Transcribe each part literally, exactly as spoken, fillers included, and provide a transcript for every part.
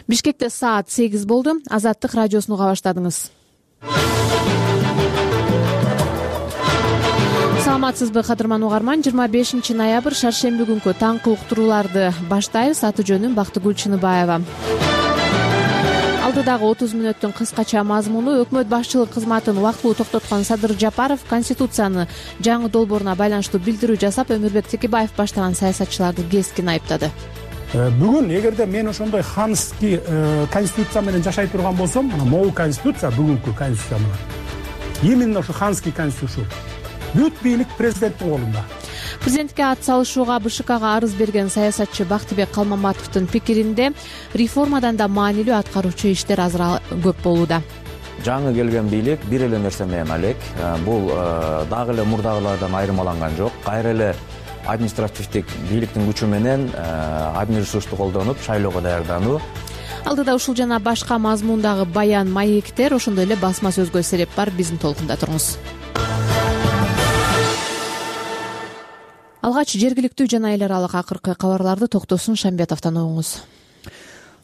Бишкекте саат сегиз болду. Азаттык радиосуну уга баштадыңыз. Саламатсызбы, кадырман угарман. жыйырма бешинчи ноябрь шаршемби күнкү таңкы уктурууларды баштайбыз. Аты жөнүм Бактыгүл Чыныбаева. Алдыдагы отуз мүнөттүн кыскача мазмуну: өкмөт башчылык кызматын убактылуу токтоткон Садыр Жапаров Конституциянын жаңы долбооруна байланыштуу билдирүү жасап, Өмүрбек Текебаев баштаган саясатчыларды кескин айыптады. Бүгүн эгерде мен ошондой ханский конституция менен жашай турган болсом, мына могу конституция, бүгүнкү конституция менен именно ошо ханский конституция. Бүт бийлик президенттин колунда. Президентке ат салышууга БШКга арыз берген саясатчы Бактыбек Калмаматовдун пикиринде реформадан да маанилүү аткаруучу иштер азыраак көп болууда. Жаңы келген бийлик бир эле нерсе менен алек. Бул дагы эле мурдагылардан айырмаланган жок. Кайра эле административдик бийликтин күчү менен админресурсту колдонуп шайлоого даярдануу. Алдыда ушул жана башка мазмундагы баян, маектер, ошондой эле басма сөзгө сереп бар. Биздин толкунда туруңуз. Алгач жергиликтүү жана эл аралык акыркы кабарларды Токтосун Шамбетовдон угуңуз.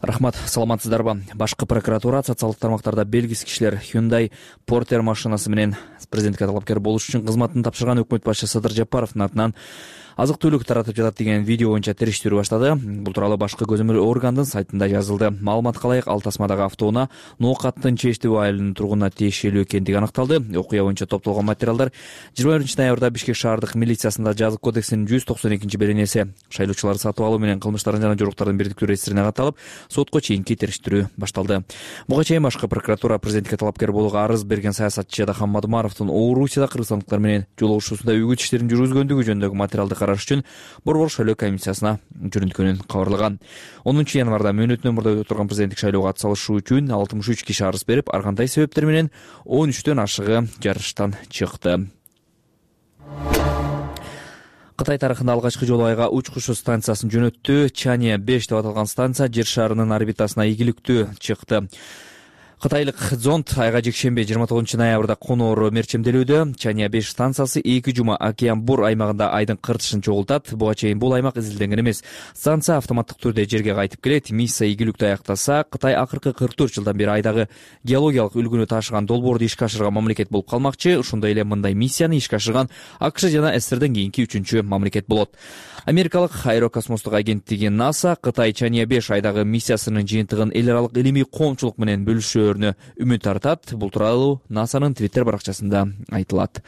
Рахмат, саламатсыздарбы? Башкы прокуратура социалдык тармактарда белгисиз кишилер Hyundai Porter машинасы менен президентке талапкер болуш үчүн кызматын тапшырган өкмөт башчысы Садыр Жапаровдун атынан азык-түлүк таратып жатат деген видео боюнча териштирүү баштады. Бул тууралуу башкы көзөмөл органдын сайтында жазылды. Маалыматка ылайык, ал тасмадагы автоунаа Ноокаттын Чештеб айылынын тургунуна тиешелүү экендиги аныкталды. Окуя боюнча топтолгон материалдар жыйырма биринчи ноябрда Бишкек шаардык милициясында жазык кодексинин жүз токсон экинчи беренеси шайлоочуларды сатып алуу менен кылмыштардын жана жоруктардын бирдиктүү реестрине катталып, сотко чейинки териштирүү башталды. Буга чейин башкы прокуратура президентке талапкер болууга арыз берген саясатчы Жадахан Мадумаровдун Орусияда кыргызстандыктар менен жолугушуусунда үгүт иштерин жүргүзгөндүгү жөнүндөгү материалды караш үчүн Борбор шайлоо комиссиясына жөнөткөнүн кабарлаган. онунчу январда мөөнөтүнөн мурда өтүп турган президенттик шайлоого атсалышуу үчүн алтымыш үч киши арыз берип, ар кандай себептер менен он үчтөн ашыгы жарыштан чыкты. Кытай тарыхында алгачкы жолу айга учкучу станциясын жөнөттү. Чанья беш деп аталган станция жер шарынын орбитасына ийгиликтүү чыкты. Кытайлык зонд айга жекшемби жыйырма тогузунчу ноябрда коноору мерчемделүүдө. Чанья беш станциясы эки жума Океан Бур аймагында айдын кыртышын чогултат. Буга чейин бул аймак изилденген эмес. Станция автоматтык түрдө жерге кайтып келет. Миссия ийгиликтүү аяктаса, Кытай акыркы кырк төрт жылдан бери айдагы геологиялык үлгүнү ташыган долбоорду ишке ашырган мамлекет болуп калмакчы. Ошондой эле мындай миссияны ишке ашырган АКШ жана СССРден кийинки үчүнчү мамлекет болот. Америкалык аэрокосмостук агенттиги НАСА Кытай Чанья беш айдагы миссиясынын жыйынтыгын эл аралык илимий коомчулук менен бөлүшөөрүнө үмүт артат. Бул тууралуу НАСАнын Твиттер баракчасында айтылат.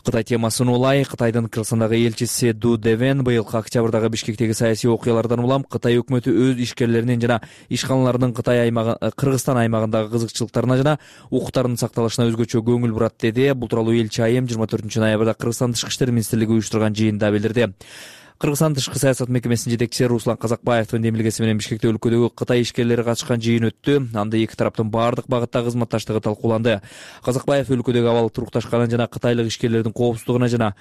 Кытай темасын улай, Кытайдын Кыргызстандагы элчиси Ду Девен быйылкы октябрдагы Бишкектеги саясий окуялардан улам Кытай өкмөтү өз ишкерлеринин жана ишканаларынын Кытай аймагы Кыргызстан аймагындагы кызыкчылыктарына жана укуктарынын сакталышына өзгөчө көңүл бурат деди. Бул тууралуу элчи айым жыйырма төртүнчү ноябрда Кыргызстан Тышкы иштер министрлиги уюштурган жыйында билдирди. Кыргызстан тышкы саясат мекемесинин жетекчиси Руслан Казакбаевдин демилгеси менен Бишкекте өлкөдөгү Кытай ишкерлери катышкан жыйын өттү. Анда эки тараптын баардык багыттагы кызматташтыгы талкууланды. Казакбаев өлкөдөгү абал турукташканын жана кытайлык ишкерлердин коопсуздугуна жана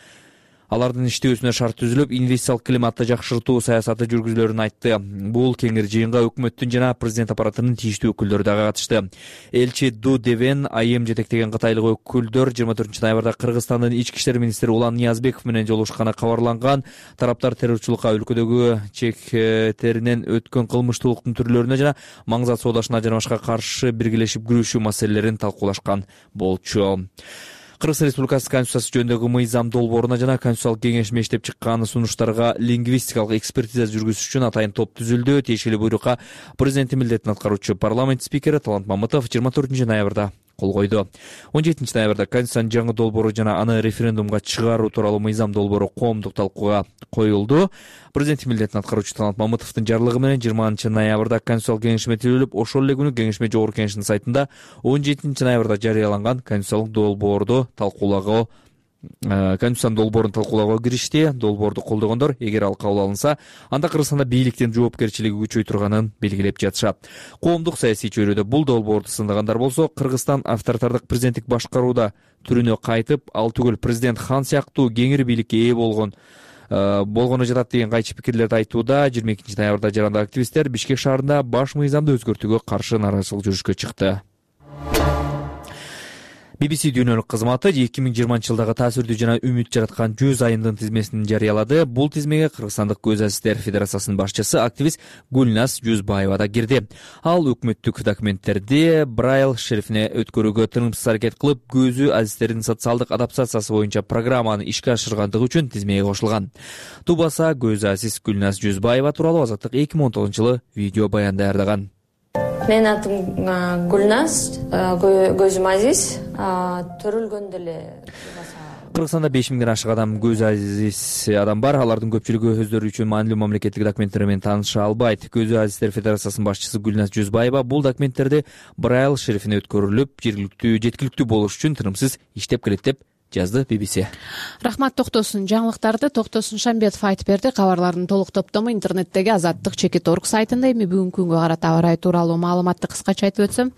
алардын иштөөсүнө шарт түзүлүп, инвестициялык климатты жакшыртуу саясаты жүргүзүлөрүн айтты. Бул кеңир жыйынга өкмөттүн жана президент аппаратынын тийиштүү өкүлдөрү дагы катышты. Элчи Ду Девен айым жетектеген кытайлык өкүлдөр жыйырма төртүнчү ноябрда Кыргызстандын ички иштер министри Улан Ниязбеков менен жолугушканы кабарланган. Тараптар террорчулукка, өлкөдөгү чектеринен өткөн кылмыштуулуктун түрлөрүнө жана маңзат соодашына жана башка каршы биргелешип күрөшүү маселелерин талкуулашкан болчу. Кыргыз Республикасы Конституциясы жөнүндөгү мыйзам долбооруна жана Конституциялык кеңеш мештеп чыккан сунуштарга лингвистикалык экспертиза жүргүзүш үчүн атайын топ түзүлдү. Тиешелүү буйрукка президенттин милдетин аткаруучу парламент спикери Талант Мамытов жыйырма төртүнчү ноябрда кол койду. он жетинчи ноябрда Конституциянын жаңы долбоору жана аны референдумга чыгаруу тууралуу мыйзам долбоору коомдук талкууга коюлду. Президенттин милдетин аткаруучу Талант Мамытовдун жарлыгы менен жыйырманчы ноябрда Конституциялык кеңешме түзүлүп, ошол эле күнү кеңешме жогорку кеңешинин сайтында он жетинчи ноябрда жарыяланган Конституциялык долбоорду талкуулоого Конституциянын долбоорун талкуулоого киришти. Долбоорду колдогондор, эгер ал кабыл алынса, анда Кыргызстанда бийликтин жоопкерчилиги күчөй турганын белгилеп жатышат. Коомдук саясий чөйрөдө бул долбоорду сындагандар болсо, Кыргызстан авторитардык президенттик башкарууда түрүнө кайтып, ал түгүл президент хан сыяктуу кеңири бийликке ээ болгон болгону жатат деген кайчы пикирлерди айтууда. жыйырма экинчи ноябрда жарандык активисттер Бишкек шаарында баш мыйзамды өзгөртүүгө каршы нааразычылык жүрүшкө чыкты. би би си дүйнөлүк кызматы эки миң жыйырманчы жылдагы таасирдүү жана үмүт жараткан жүз айымдын тизмесин жарыялады. Бул тизмеге Кыргызстандык Көз азиздер федерациясынын башчысы активист Гүлназ Жүзбаева да кирди. Ал өкмөттүк документтерди Braille шрифине өткөрүүгө тынымсыз аракет кылып, көзү азиздердин социалдык адаптациясы боюнча программаны ишке ашыргандыгы үчүн тизмеге кошулган. Тубаса Көз азиз Гүлназ Жүзбаева тууралуу Азаттык эки миң он тогузунчу жылы видео баян даярдаган. Менин атым Гүлназ, көзүм азиз, төрөлгөндө эле. Кыргызстанда беш миңден ашык адам көз азиз адам бар. Алардын көпчүлүгү өздөрү үчүн маанилүү мамлекеттик документтер менен тааныша албайт. Көз азиздер федерациясынын башчысы Гүлназ Жүзбаева бул документтерди Braille шрифине өткөрүлүп, жергиликтүү жеткиликтүү болуш үчүн тынымсыз иштеп келет деп жазды би би си. Рахмат Токтосун. Жаңылыктарды Токтосун Шамбетов айтып берди. Кабарлардын толук топтому интернеттеги Азаттык чекит орг сайтында. Эми бүгүнкү күнгө карата аба ырайы тууралуу маалыматты кыскача айтып өтсөм.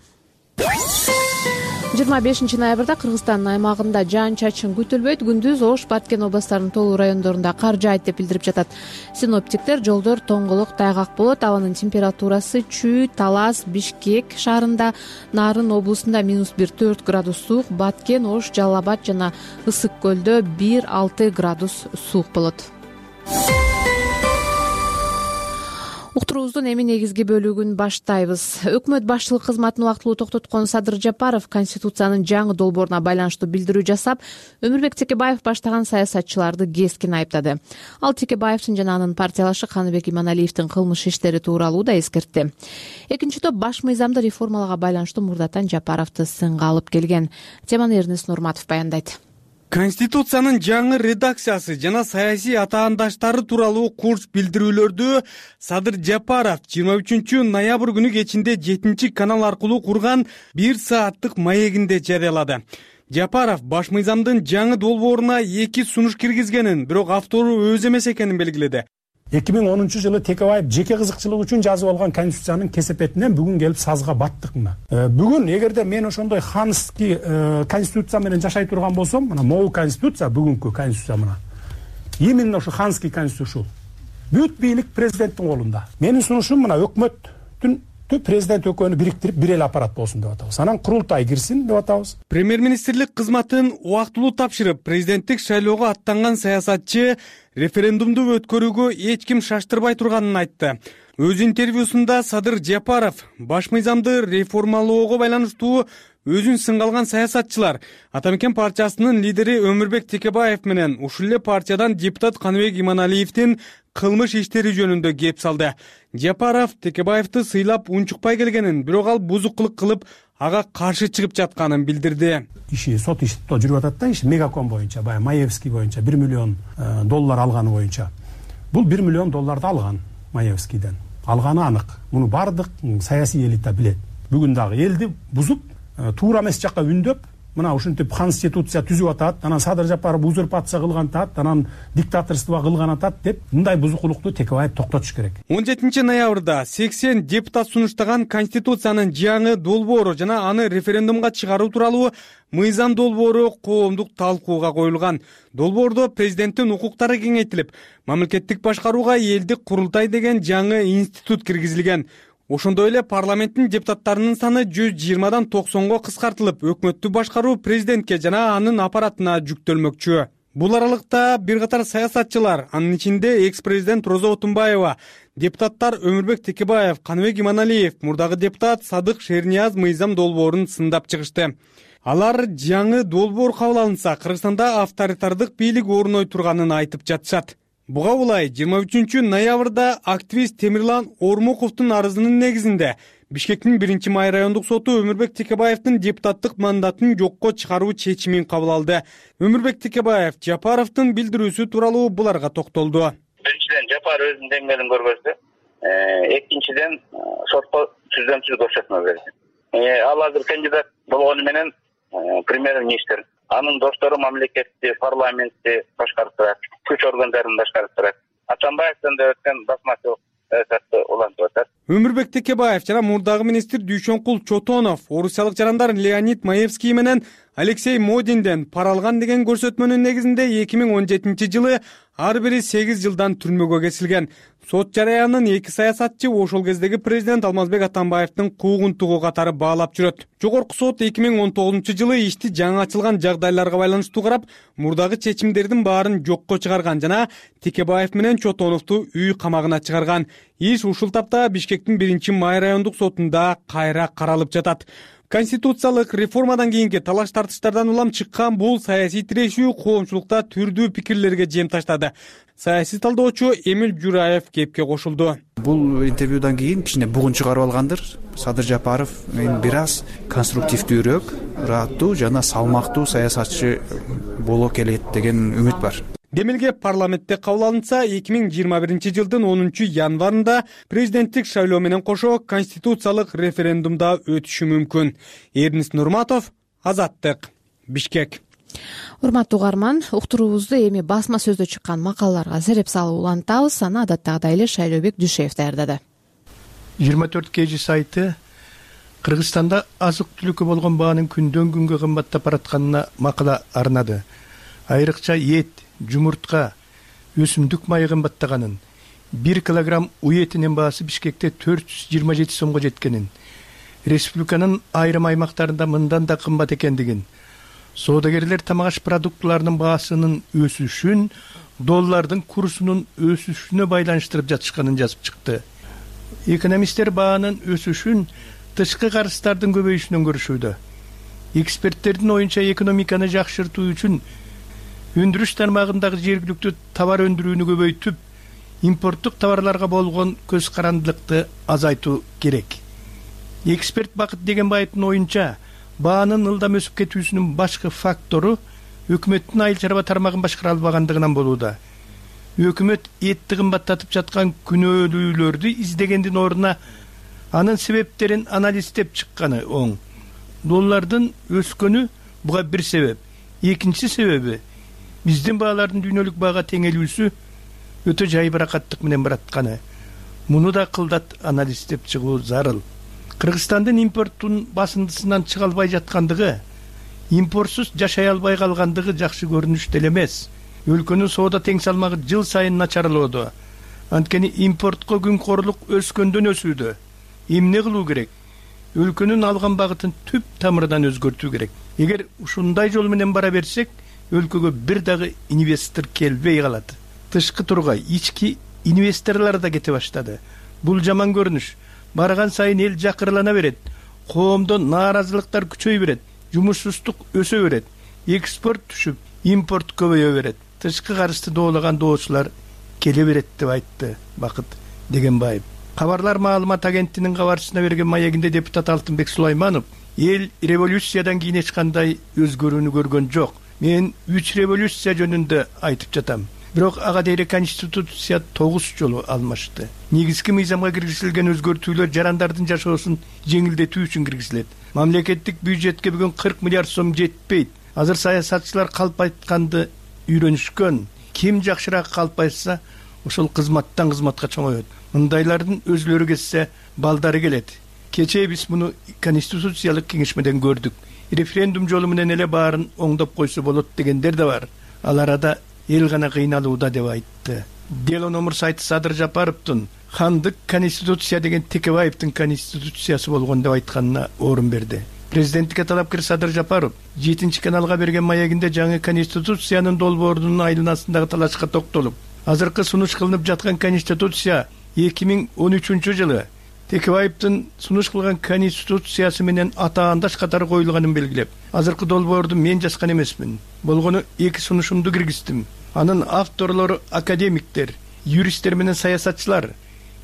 жыйырма бешинчи ноябрда Кыргызстандын аймагында жаан-чачын күтүлбөйт. Күндүз Ош, Баткен областарынын толуу райондорунда кар жаайт деп билдирип жатат. Синоптиктер жолдор тоңголук, тайгак болот. Абанын температурасы Чүй, Талас, Бишкек шаарында, Нарын облусунда минус бир төрт градус суук, Баткен, Ош, Жалал Абад жана Ысык көлдө бир алты градус суук болот. Уктуруубуздун эми негизги бөлүгүн баштайбыз. Өкмөт башчылык кызматын убактылуу токтоткон Садыр Жапаров Конституциянын жаңы долборуна байланыштуу билдирүү жасап, Өмүрбек Текебаев баштаган саясатчыларды кескин айыптады. Ал Текебаевдин жана анын партиялашы Каныбек Иманалиевдин кылмыш иштери тууралуу да эскертти. Экинчи топ баш мыйзамды реформаларга байланыштуу мурдатан Жапаровду сынга алып келген. Теманы Эрнест Нурматов баяндайт. Конституциянын жаңы редакциясы жана саясий атаандаштары тууралуу курч билдирүүлөрдү Садыр Жапаров жыйырма үчүнчү ноябрь күнү кечинде жетинчи канал аркылуу курган бир сааттык маегинде жарыялады. Жапаров баш мыйзамдын жаңы долбооруна эки сунуш киргизгенин, бирок автору өзү эмес экенин белгиледи. эки миң онунчу жылы Текебаев жеке кызыкчылык үчүн жазып алган конституциянын кесепетинен бүгүн келип сазга баттык мына. Бүгүн эгерде мен ошондой ханский конституция менен жашай турган болсом, мына могу конституция, бүгүнкү конституция мына. Именно ошо ханский конституция ушул. Бүт бийлик президенттин колунда. Менин сунушум мына өкмөттүн президент экөөнү бириктирип бир эле аппарат болсун деп атабыз. Анан курултай кирсин деп атабыз. Премьер-министрлик кызматын убактылуу тапшырып, президенттик шайлоого аттанган саясатчы референдумду өткөрүүгө эч ким шаштырбай турганын айтты. Өз интервьюсунда Садыр Жапаров баш мыйзамды реформалоого байланыштуу өзүн сынга алган саясатчылар Атамекен партиясынын лидери Өмүрбек Текебаев менен ушул эле партиядан депутат Каныбек Иманалиевдин кылмыш иштери жөнүндө кеп салды. Жапаров Текебаевди сыйлап унчукпай келгенин, бирок ал бузукулук кылып, ага каршы чыгып жатканын билдирди. Иши сот иши жүрүп атат да, иши Мегаком боюнча, баягы Маевский боюнча бир миллион доллар алганы боюнча. Бул бир миллион долларды алган Маевскийден. Алганы анык. Муну бардык саясий элита билет. Бүгүн дагы элди бузуп, туура эмес жакка үндөп, мына ушинтип конституция түзүп атат, анан Садыр Жапаров узурпация кылган атат, анан диктаторство кылган атат деп, мындай бузукулукту Текебаев токтотуш керек. он жетинчи ноябрда сексен депутат сунуштаган конституциянын жаңы долбоору жана аны референдумга чыгаруу тууралуу мыйзам долбоору коомдук талкууга коюлган. Долбоордо президенттин укуктары кеңейтилип, мамлекеттик башкарууга элдик курултай деген жаңы институт киргизилген. Ошондой эле парламенттин депутаттарынын саны жүз жыйырмадан токсонго кыскартылып, өкмөттү башкаруу президентке жана анын аппаратына жүктөлмөкчү. Бул аралыкта бир катар саясатчылар, анын ичинде экс-президент Роза Отунбаева, депутаттар Өмүрбек Текебаев, Каныбек Иманалиев, мурдагы депутат Садык Шернияз мыйзам долбоорун сындап чыгышты. Алар жаңы долбоор кабыл алынса, Кыргызстанда авторитардык бийлик орной турганын айтып жатышат. Буга улай жыйырма үчүнчү ноябрда активист Темирлан Ормуковдун арызынын негизинде Бишкектин биринчи май райондук соту Өмүрбек Текебаевдин депутаттык мандатын жокко чыгаруу чечимин кабыл алды. Өмүрбек Текебаев Жапаровдун билдирүүсү тууралуу буларга токтолду. Биринчиден Жапаров өзүнүн деңгээлин көргөздү. Экинчиден сотко түзөмсүз көрсөтмө берди. Ал азыр кандидат болгону менен премьер-министр, анын достору мамлекетти, парламентти башкарып турат, күч органдарын башкарып турат. Атамбаевден да өткөн басмачылык саясатты улантып атат. Өмүрбек Текебаев жана мурдагы министр Дүйшөнкул Чотонов орусиялык жарандар Леонид Маевский менен Алексей Модинден пара алган деген көрсөтмөнүн негизинде эки миң он жетинчи жылы ар бири сегиз жылдан түрмөгө кесилген. Сот жараянын эки саясатчы ошол кездеги президент Алмазбек Атамбаевдин куугунтугу катары баалап жүрөт. Жогорку сот эки миң он тогузунчу жылы ишти жаңы ачылган жагдайларга байланыштуу карап, мурдагы чечимдердин баарын жокко чыгарган жана Текебаев менен Чотоновду үй камагына чыгарган. Иш ушул тапта Бишкектин биринчи май райондук сотунда кайра каралып жатат. Конституциялык реформадан кийинки талаш тартыштардан улам чыккан бул саясий тирешүү коомчулукта түрдүү пикирлерге жем таштады. Саясий талдоочу Эмил Жураев кепке кошулду. Бул интервьюдан кийин кичине бугун чыгарып алгандыр. Садыр Жапаров эми бир аз конструктивдүүрөөк, ыраттуу жана салмактуу саясатчы боло келет деген үмүт бар. Демилге парламентте кабыл алынса, эки миң жыйырма биринчи жылдын онунчу январында президенттик шайлоо менен кошо конституциялык референдумда өтүшү мүмкүн. Эрнис Нурматов, Азаттык, Бишкек. Урматтуу угарман, уктуруубузду эми басма сөздө чыккан макалаларга сереп салып улантабыз. Аны адаттагыдай эле Шайлообек Дүйшеев даярдады. жыйырма төрт кей жи сайты Кыргызстанда азык-түлүккө болгон баанын күндөн күнгө кымбаттап баратканына макала арнады. Айрыкча эт, жумуртка, өсүмдүк майы кымбаттаганын, бир килограмм уй этинин баасы Бишкекте төрт жүз жыйырма жети сомго жеткенин, республиканын айрым аймактарында мындан да кымбат экендигин, соодагерлер тамак аш продуктыларынын баасынын өсүшүн доллардын курсунун өсүшүнө байланыштырып жатышканын жазып чыкты. Экономисттер баанын өсүшүн тышкы карыздардын көбөйүшүнөн көрүшүүдө. Эксперттердин оюнча экономиканы жакшыртуу үчүн өндүрүш тармагындагы жергиликтүү товар өндүрүүнү көбөйтүп, импорттук товарларга болгон көз карандылыкты азайтуу керек. Эксперт Бакыт Дегенбаевдин оюнча, баанын ылдам өсүп кетүүсүнүн башкы фактору өкмөттүн айыл чарба тармагын башкара албагандыгынан болууда. Өкмөт этти кымбаттатып жаткан күнөөлүүлөрдү издегендин ордуна анын себептерин анализдеп чыкканы оң. Доллардын өскөнү буга бир себеп. Экинчи себеби биздин баалардын дүйнөлүк баага теңелүүсү өтө жайбыракаттык менен баратканы. Муну да кылдат анализдеп чыгуу зарыл. Кыргызстандын импорттун басындысынан чыга албай жаткандыгы, импортсуз жашай албай калгандыгы жакшы көрүнүш деле эмес. Өлкөнүн соода тең салмагы жыл сайын начарлоодо. Анткени импортко күнкорлук өскөндөн өсүүдө. Эмне кылуу керек? Өлкөнүн алган багытын түп тамырынан өзгөртүү керек. Эгер ушундай жол менен бара берсек, өлкөгө бир дагы инвестор келбей калат. Тышкы тургай, ички инвесторлор да кете баштады. Бул жаман көрүнүш. Барган сайын эл жакырлана берет. Коомдо нааразылыктар күчөй берет. Жумушсуздук өсө берет. Экспорт түшүп, импорт көбөйө берет. Тышкы карызды доолаган доочулар келе берет деп айтты Бакыт Дегенбаев. Кабарлар маалымат агенттигинин кабарчысына берген маегинде депутат Алтынбек Сулайманов эл революциядан кийин эч кандай өзгөрүүнү көргөн жок. Мен үч революция жөнүндө айтып жатам. Бирок ага дейре конституция тогуз жолу алмашты. Негизги мыйзамга киргизилген өзгөртүүлөр жарандардын жашоосун жеңилдетүү үчүн киргизилет. Мамлекеттик бюджетке бүгүн кырк миллиард сом жетпейт. Азыр саясатчылар калп айтканды үйрөнүшкөн. Ким жакшыраак калп айтса, ошол кызматтан кызматка чоңоет. Мындайлардын өзлөрү кетсе, балдары келет. Кечээ биз муну конституциялык кеңешмеден көрдүк. Референдум жолу менен эле баарын оңдоп койсо болот дегендер да бар. Ал арада эл гана кыйналууда деп айтты. Дело номер сайты Садыр Жапаровдун хандык конституция деген Текебаевдин конституциясы болгон деп айтканына орун берди. Президенттикке талапкер Садыр Жапаров жетинчи каналга берген маегинде жаңы конституциянын долбоорунун айланасындагы талашка токтолуп, азыркы сунуш кылынып жаткан конституция эки миң он үчүнчү жылы Текебаевдин сунуш кылган конституциясы менен атаандаш катары коюлганын белгилеп, азыркы долбоорду мен жазган эмесмин. Болгону эки сунушумду киргиздим. Анын авторлору академиктер, юристтер менен саясатчылар,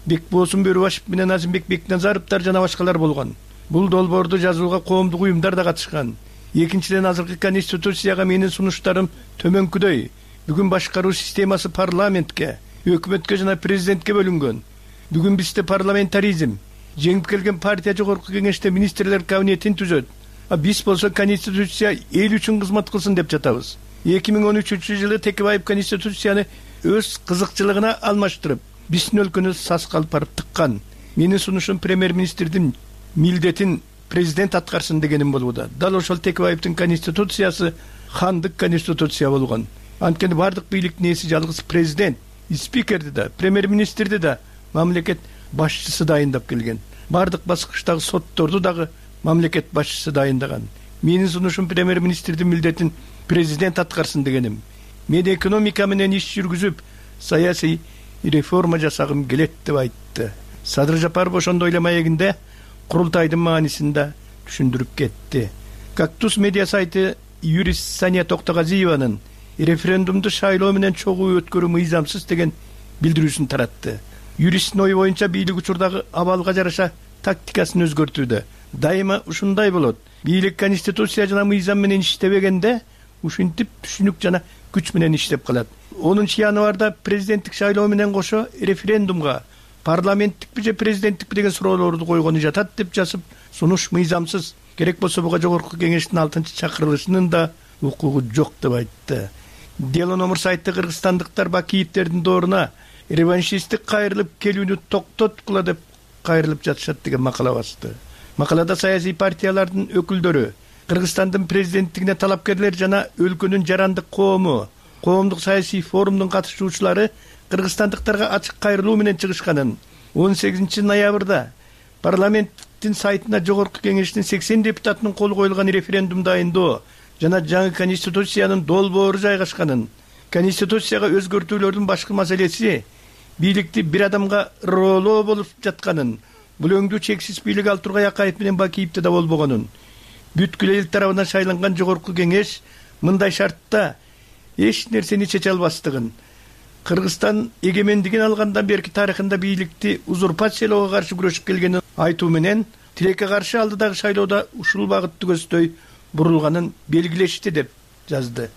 Бекболсун Бөрүбашев менен Азимбек Бекназаровдор жана башкалар болгон. Бул долбоорду жазууга коомдук уюмдар да катышкан. Экинчиден, азыркы конституцияга менин сунуштарым төмөнкүдөй. Бүгүн башкаруу системасы парламентке, өкмөткө жана президентке бөлүнгөн. Бүгүн бизде парламентаризм, жеңип келген партия жогорку кеңеште министрлер кабинетин түзөт. А биз болсо конституция эл үчүн кызмат кылсын деп жатабыз. эки миң он үчүнчү жылы Текебаев конституцияны өз кызыкчылыгына алмаштырып, биздин өлкөнү саскалып барып тыккан. Менин сунушум премьер-министрдин милдетин президент аткарсын дегеним болууда. Дал ошол Текебаевдин конституциясы хандык конституция болгон. анткени баардык бийликтин ээси жалгыз президент, спикерди да, премьер-министрди да мамлекет башчысы дайындап келген. Баардык баскычтагы сотторду дагы мамлекет башчысы дайындаган. Менин сунушум премьер-министрдин милдетин президент аткарсын дегеним. Мен экономика менен иш жүргүзүп, саясий реформа жасагым келет деп айтты. Садыр Жапаров ошондой эле маегинде курултайдын маанисин да түшүндүрүп кетти. Кактус медиа сайты юрист Сания Токтогазиеванын референдумду шайлоо менен чогуу өткөрүү мыйзамсыз деген билдирүүсүн таратты. Юристтин ою боюнча бийлик учурдагы абалга жараша тактикасын өзгөртүүдө. Дайыма ушундай болот. Бийлик конституция жана мыйзам менен иштебегенде ушинтип түшүнүк жана күч менен иштеп калат. онунчу январда президенттик шайлоо менен кошо референдумга парламенттикпи же президенттикпи деген суроолорду койгону жатат деп жазып, сунуш мыйзамсыз. Керек болсо буга жогорку кеңештин алтынчы чакырылышынын да укугу жок деп айтты. Дело номер сайты кыргызстандыктар Бакиевтердин дооруна реваншисттик кайрылып келүүнү токтоткула деп кайрылып жатышат деген макала басты. Макалада саясий партиялардын өкүлдөрү, Кыргызстандын президенттигине талапкерлер жана өлкөнүн жарандык коому, коомдук саясий форумдун катышуучулары кыргызстандыктарга ачык кайрылуу менен чыгышканын, он сегизинчи ноябрда парламенттин сайтына жогорку кеңештин сексен депутатынын колу коюлган референдум дайындоо жана жаңы конституциянын долбоору жайгашканын, конституцияга өзгөртүүлөрдүн башкы маселеси бийликти бир адамга роолоо болуп жатканын, бул өңдүү чексиз бийлик ал Тургай Акаев менен Бакиевде да болбогонун, бүткүл эл тарабынан шайланган жогорку кеңеш мындай шартта эч нерсени чече албастыгын, Кыргызстан эгемендигин алгандан берки тарыхында бийликти узурпациялоого каршы күрөшүп келгенин айтуу менен тилекке каршы алдыдагы шайлоодо ушул багытты көздөй бурулганын белгилешти деп жазды.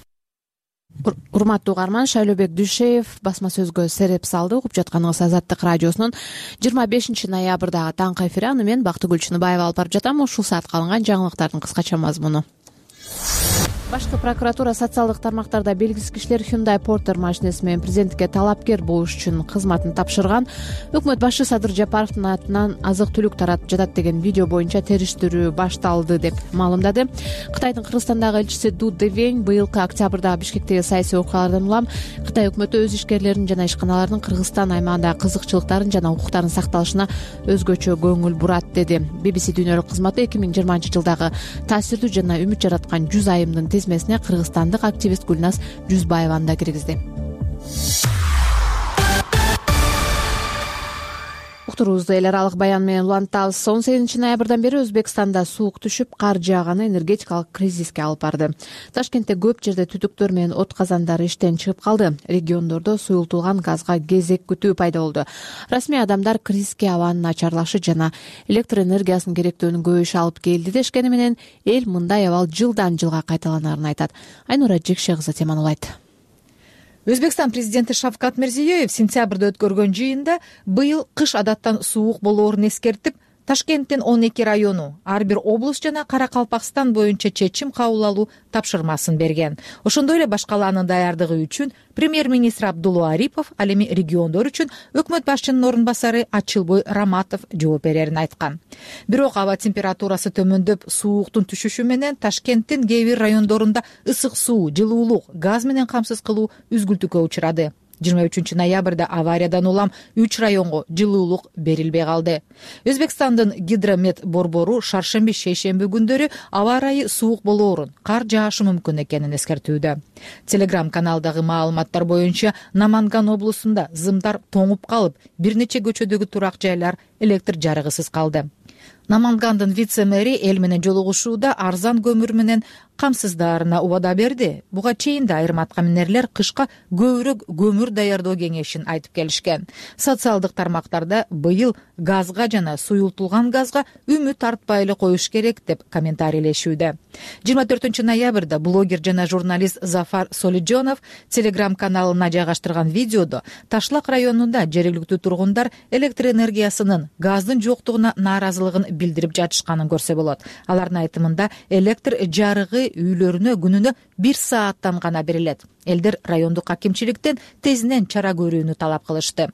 Урматтуу угарман, Шайлообек Дүйшеев басма сөзгө сереп салды. Угуп жатканыңыз Азаттык радиосунун жыйырма бешинчи ноябрдагы таңкы эфири. Аны мен Бактыгүл Чыныбаева алып барып жатам. Ушул саатка алынган жаңылыктардын кыскача мазмуну. Башкы прокуратура социалдык тармактарда белгисиз кишилер Hyundai Porter машинеси менен президентке талапкер болуш үчүн кызматын тапшырган. Өкмөт башчы Садыр Жапаровдун атынан азык-түлүк таратып жатат деген видео боюнча териштирүү башталды деп маалымдады. Кытайдын Кыргызстандагы элчиси Ду Девень быйылкы октябрдагы Бишкектеги саясий окуялардан улам Кытай өкмөтү өз ишкерлеринин жана ишканаларынын Кыргызстан аймагындагы кызыкчылыктарын жана укуктарын сакталышына өзгөчө көңүл бурат деди. би би си дүйнөлүк кызматы эки миң жыйырманчы жылдагы таасирдүү жана үмүт жараткан жүз айымдын тизмесине кыргызстандык активист Гүлназ Жүзбаеваны да киргизди. Уктуруубузду эл аралык баян менен улантабыз. он сегизинчи ноябрдан бери Өзбекстанда суук түшүп, кар жааганы энергетикалык кризиске алып барды. Ташкентте көп жерде түтүктөр менен от казандары иштен чыгып калды. Региондордо суюлтулган газга кезек күтүү пайда болду. Расмий адамдар кризиске абанын начарлашы жана электр энергиясынын керектөөнүн көбөйүшү алып келди дешкени менен эл мындай абал жылдан жылга кайталанарын айтат. Айнура Жекше кызы теманы улайт. Өзбекстан президенти Шавкат Мирзиёев сентябрда өткөргөн жыйында быйыл кыш адаттан суук болоорун эскертип, Ташкенттин он эки району, ар бир облус жана Кара-Калпакстан боюнча чечим кабыл алуу тапшырмасын берген. Ошондой эле башкалаанын даярдыгы үчүн премьер-министр Абдулла Арипов, ал эми региондор үчүн өкмөт башчынын орун басары Ачылбой Раматов жооп берерин айткан. Бирок аба температурасы төмөндөп, сууктун түшүшү менен Ташкенттин кээ бир райондорунда ысык суу, жылуулук, газ менен камсыз кылуу үзгүлтүккө учурады. жыйырма үчүнчү ноябрда авариядан улам үч районго жылуулук берилбей калды. Өзбекстандын гидромет борбору шаршемби, шейшемби күндөрү аба ырайы суук болоорун, кар жаашы мүмкүн экенин эскертүүдө. Телеграм каналдагы маалыматтар боюнча Наманган облусунда зымдар тоңуп калып, бир нече көчөдөгү турак жайлар электр жарыгысыз калды. Намангандын вице-мэри эл менен жолугушууда арзан көмүр менен камсыздаарына убада берди. Буга чейин да айрым аткаминерлер кышка көбүрөөк көмүр даярдоо кеңешин айтып келишкен. Социалдык тармактарда быйыл газга жана суюлтулган газга үмүт артпай эле коюш керек деп комментарийлешүүдө. жыйырма төртүнчү ноябрда блогер жана журналист Зафар Солиджонов Телеграм каналына жайгаштырган видеодо Ташлак районунда жергиликтүү тургундар электр энергиясынын газдын жоктугуна нааразылыгын билдирип жатышканын көрсө болот. Алардын айтымында электр жарыгы үйлөрүнө күнүнө бир сааттан гана берилет. Элдер райондук акимчиликтен тезинен чара көрүүнү талап кылышты.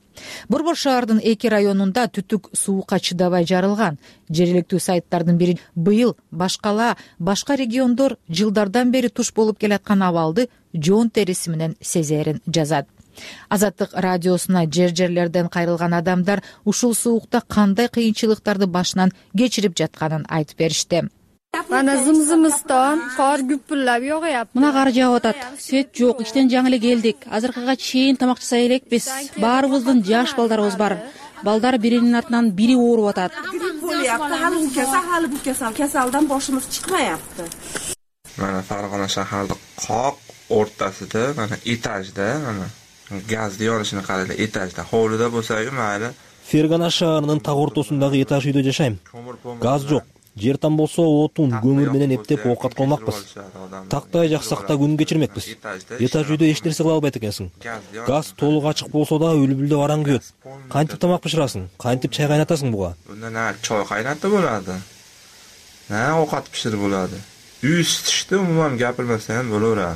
Борбор шаардын эки районунда түтүк суукка чыдабай жарылган. Жергиликтүү сайттардын бири быйыл башкала башка региондор жылдардан бери туш болуп келаткан абалды жоон териси менен сезерин жазат. Азаттык радиосуна жер жерлерден кайрылган адамдар ушул суукта кандай кыйынчылыктарды башынан кечирип жатканын айтып беришти. Мана зым-зымыстан кар күпүрлөп жогуяпты. Мына кар жаап атат. Свет жок, иштен жаңы эле келдик. Азыркыга чейин тамак жасай элекпиз. Баарыбыздын жаш балдарыбыз бар. Балдар биринин артынан бири ооруп атат. Кесалдан бошубуз чыкпаяпты. Мана Фаргана шаардык кок ортасында, мана этажда, мана газды yorishini qaraydi, этажда. Hovlida bo'lsa-yu mayli. Фергана шаарынын так ортосундагы этаж үйдө жашайм. Газ жок. Жер там болсо отун, көмүр менен эптеп оокат кылмакпыз. Тактай жаксакта күн кечирмекпиз. Этаж үйдө эч нерсе кыла албайт экенсиң. Газ толук ачык болсо да үлбүлдө араң күйөт. Кантип тамак бышырасың? Кантип чай кайнатасың буга? Мына чай кайнатып болот. На оокат бышырып болот. Үй ысытышты умуман гапырмасаң болот.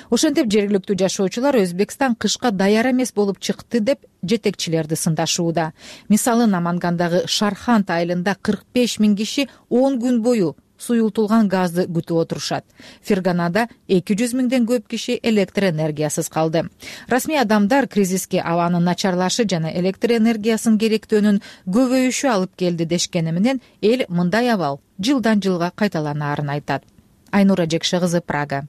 Ошентип жергиликтүү жашоочулар Өзбекстан кышка даяр эмес болуп чыкты деп жетекчилерди сындашууда. Мисалы Намангандагы Шархант айылында кырк беш миң киши он күн бою суюлтулган газды күтүп отурушат. Ферганада эки жүз миңден көп киши электр энергиясыз калды. Расмий адамдар кризиске абанын начарлашы жана электр энергиясын керектөөнүн көбөйүшү алып келди дешкени менен эл мындай абал жылдан жылга кайталанаарын айтат. Айнура Жекше кызы, Прага.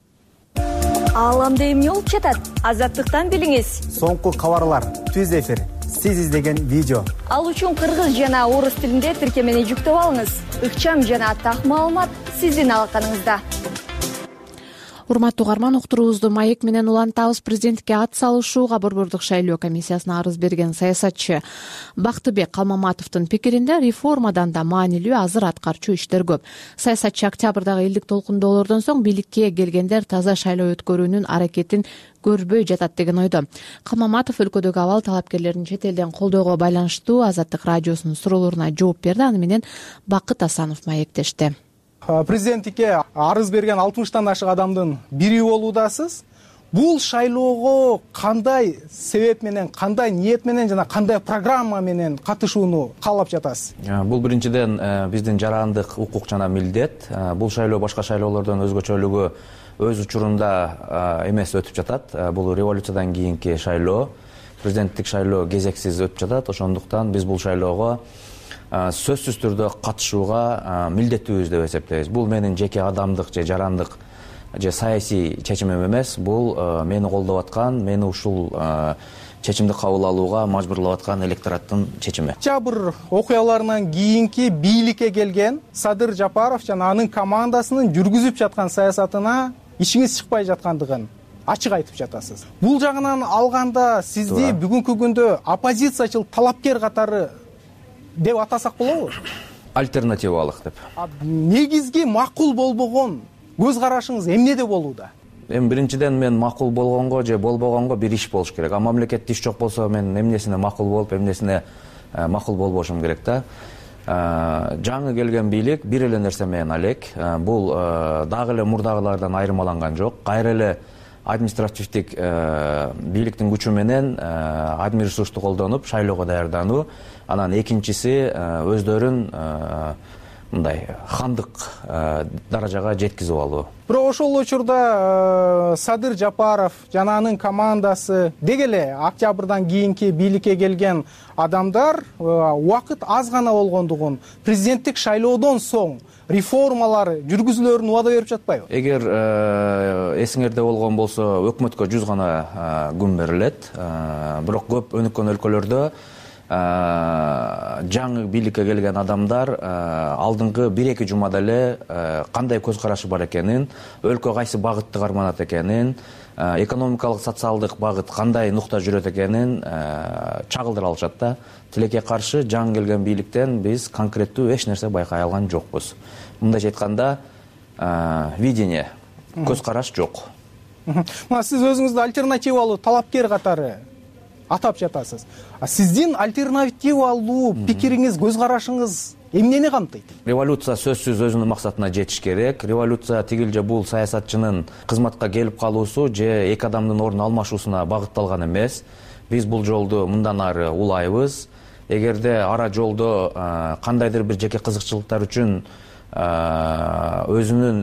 Ааламда эмне болуп жатат? Азаттыктан билиңиз. Соңку кабарлар, түз эфир, сиз издеген видео. Ал үчүн кыргыз жана орус тилинде тиркемени жүктөп алыңыз. Ыкчам жана так маалымат сиздин алаканыңызда. Урматтуу угарман, уктуруубузду маек менен улантабыз. Президентке ат салышууга Борбордук шайлоо комиссиясына арыз берген саясатчы Бактыбек Калмаматовдун пикиринде реформадан да маанилүү азыр аткарчу иштер көп. Саясатчы октябрдагы элдик толкундоолордон соң бийликке келгендер таза шайлоо өткөрүүнүн аракетин көрбөй жатат деген ойдо. Калмаматов өлкөдөгү абал талапкерлерин чет элден колдоого байланыштуу Азаттык радиосунун суроолоруна жооп берди. Аны менен Бакыт Асанов маектешти. Президенттикке арыз берген алтымыштан ашык адамдын бири болуудасыз. Бул шайлоого кандай себеп менен, кандай ниет менен жана кандай программа менен катышууну каалап жатасыз? Бул биринчиден биздин жарандык укук жана милдет. Бул шайлоо башка шайлоолордон өзгөчөлүгү өз учурунда эмес өтүп жатат. Бул революциядан кийинки шайлоо, президенттик шайлоо кезексиз өтүп жатат. Ошондуктан биз бул шайлоого сөзсүз түрдө катышууга милдеттүүбүз деп эсептейбиз. Бул менин жеке адамдык же жарандык же саясий чечимим эмес. Бул мени колдоп аткан, мени ушул чечимди кабыл алууга мажбурлап аткан электораттын чечими. Октябрь окуяларынан кийинки бийликке келген Садыр Жапаров жана анын командасынын жүргүзүп жаткан саясатына ишиңиз чыкпай жаткандыгын ачык айтып жатасыз. Бул жагынан алганда сизди бүгүнкү күндө оппозициячыл талапкер катары деп атасак болобу? Альтернативалык деп. Негизги макул болбогон көз карашыңыз эмнеде болууда? Эми биринчиден мен макул болгонго же болбогонго бир иш болуш керек. А мамлекетте иш жок болсо мен эмнесине макул болуп, эмнесине макул болбошум керек да. Жаңы келген бийлик бир эле нерсе менен алек. Бул дагы эле мурдагылардан айырмаланган жок. Кайра эле административдик бийликтин күчү менен адми ресурсту колдонуп шайлоого даярдануу. Анан экинчиси өздөрүн мындай хандык даражага жеткизип алуу. Бирок ошол учурда Садыр Жапаров жана анын командасы деги эле октябрдан кийинки бийликке келген адамдар убакыт аз гана болгондугун, президенттик шайлоодон соң реформалар жүргүзүлөрүн убада берип жатпайбы? Эгер эсиңерде болгон болсо, өкмөткө жүз гана күн берилет. Бирок көп өнүккөн өлкөлөрдө жаңы бийликке келген адамдар алдыңкы бир-эки жумада эле кандай көз карашы бар экенин, өлкө кайсы багытты карманат экенин, экономикалык, социалдык багыт кандай нукта жүрөт экенин чагылдыра алышат да. Тилекке каршы жаңы келген бийликтен биз конкреттүү эч нерсе байкай алган жокпуз. Мындайча айтканда, видение, көз караш жок. Мына сиз өзүңүздү альтернативалуу талапкер катары атап жатасыз. Сиздин альтернативалуу пикириңиз, көз карашыңыз эмнени камтыйт? Революция сөзсүз өзүнүн максатына жетиш керек. Революция тигил же бул саясатчынын кызматка келип калуусу же эки адамдын ордун алмашуусуна багытталган эмес. Биз бул жолду мындан ары улайбыз. Эгерде ара жолдо кандайдыр бир жеке кызыкчылыктар үчүн өзүнүн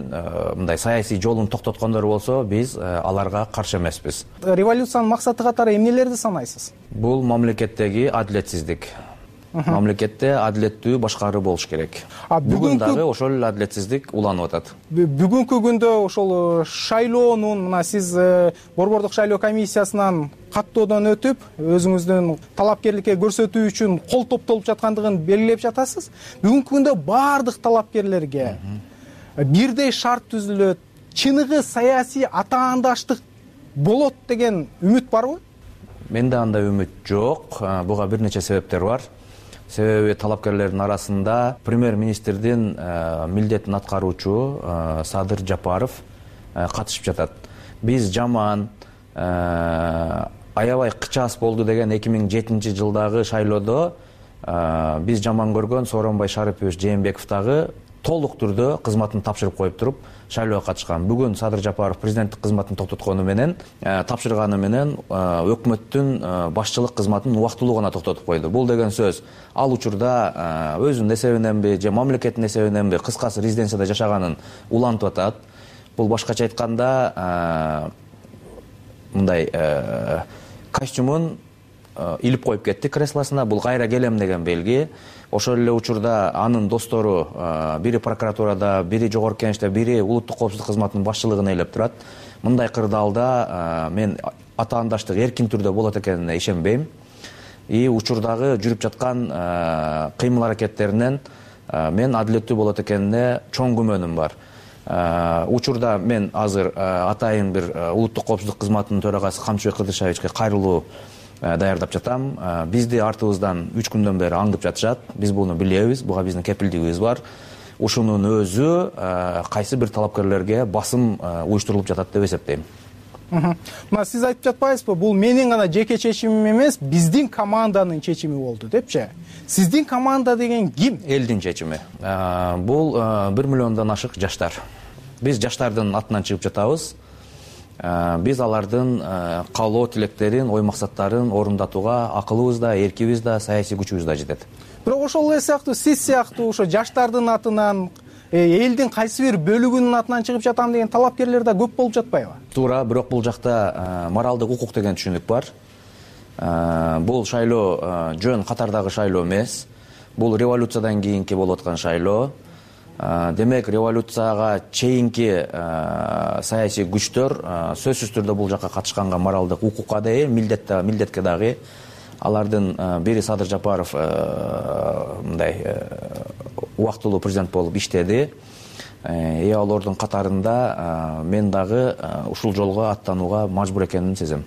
мындай саясий жолун токтоткондор болсо, биз аларга каршы эмеспиз. Революциянын максаты катары эмнелерди санайсыз? Бул мамлекеттеги адилетсиздик. Мамлекетте адилеттүү башкаруу болуш керек. Бүгүн дагы ошол эле адилетсиздик уланып атат. Бүгүнкү күндө ошол шайлоонун, мына сиз борбордук шайлоо комиссиясынан каттоодон өтүп, өзүңүздүн талапкерликке көрсөтүү үчүн кол топтолуп жаткандыгын белгилеп жатасыз. Бүгүнкү күндө баардык талапкерлерге бирдей шарт түзүлөт, чыныгы саясий атаандаштык болот деген үмүт барбы? Менде андай үмүт жок. Буга бир нече себептер бар. Себеби талапкерлердин арасында премьер-министрдин милдетин аткаруучу Садыр Жапаров катышып жатат. Биз жаман, аябай кычаас болду деген эки миң жетинчи жылдагы шайлоодо биз жаман көргөн Сооронбай Шарипович Жээнбеков дагы толук түрдө кызматын тапшырып коюп туруп шайлоого катышкан. Бүгүн Садыр Жапаров президенттик кызматын токтоткону менен, тапшырганы менен өкмөттүн башчылык кызматын убактылуу гана токтотуп койду. Бул деген сөз ал учурда өзүнүн эсебиненби же мамлекеттин эсебиненби кыскасы резиденцияда жашаганын улантып атат. Бул башкача айтканда мындай костюмун илип коюп кетти креслосуна. Бул кайра келем деген белги. Ошол эле учурда анын достору бири прокуратурада, бири жогорку кеңеште, бири улуттук коопсуздук кызматынын башчылыгын ээлеп турат. Мындай кырдаалда мен атаандаштык эркин түрдө болот экенине ишенбейм. И учурдагы жүрүп жаткан кыймыл аракеттеринен мен адилеттүү болот экенине чоң күмөнүм бар. Учурда мен азыр атайын бир улуттук коопсуздук кызматынын төрагасы Камчыбек Кыдыршевичке кайрылуу даярдап жатам. Бизди артыбыздан үч күндөн бери аңдып жатышат. Биз буну билебиз, буга биздин кепилдигибиз бар. Ушунун өзү кайсы бир талапкерлерге басым уюштурулуп жатат деп эсептейм. Мына сиз айтып жатпайсызбы, бул менин гана жеке чечимим эмес, биздин команданын чечими болду депчи? Сиздин команда деген ким? Элдин чечими. Бул бир миллиондон ашык жаштар. Биз жаштардын атынан чыгып жатабыз. Биз алардын каалоо тилектерин, ой максаттарын орундатууга акылыбыз да, эркибиз да, саясий күчүбүз да жетет. Бирок ошол эле сыяктуу сиз сыяктуу ошо жаштардын атынан, элдин кайсы бир бөлүгүнүн атынан чыгып жатам деген талапкерлер да көп болуп жатпайбы? Туура, бирок бул жакта моралдык укук деген түшүнүк бар. Бул шайлоо жөн катардагы шайлоо эмес. Бул революциядан кийинки болуп аткан шайлоо. Демек, революцияга чейинки саясий күчтөр сөзсүз түрдө бул жакка катышканга моралдык укукка да ээ, милдетке дагы. Алардын бири Садыр Жапаров мындай убактылуу президент болуп иштеди. И алардын катарында мен дагы ушул жолго аттанууга мажбур экенимди сезем.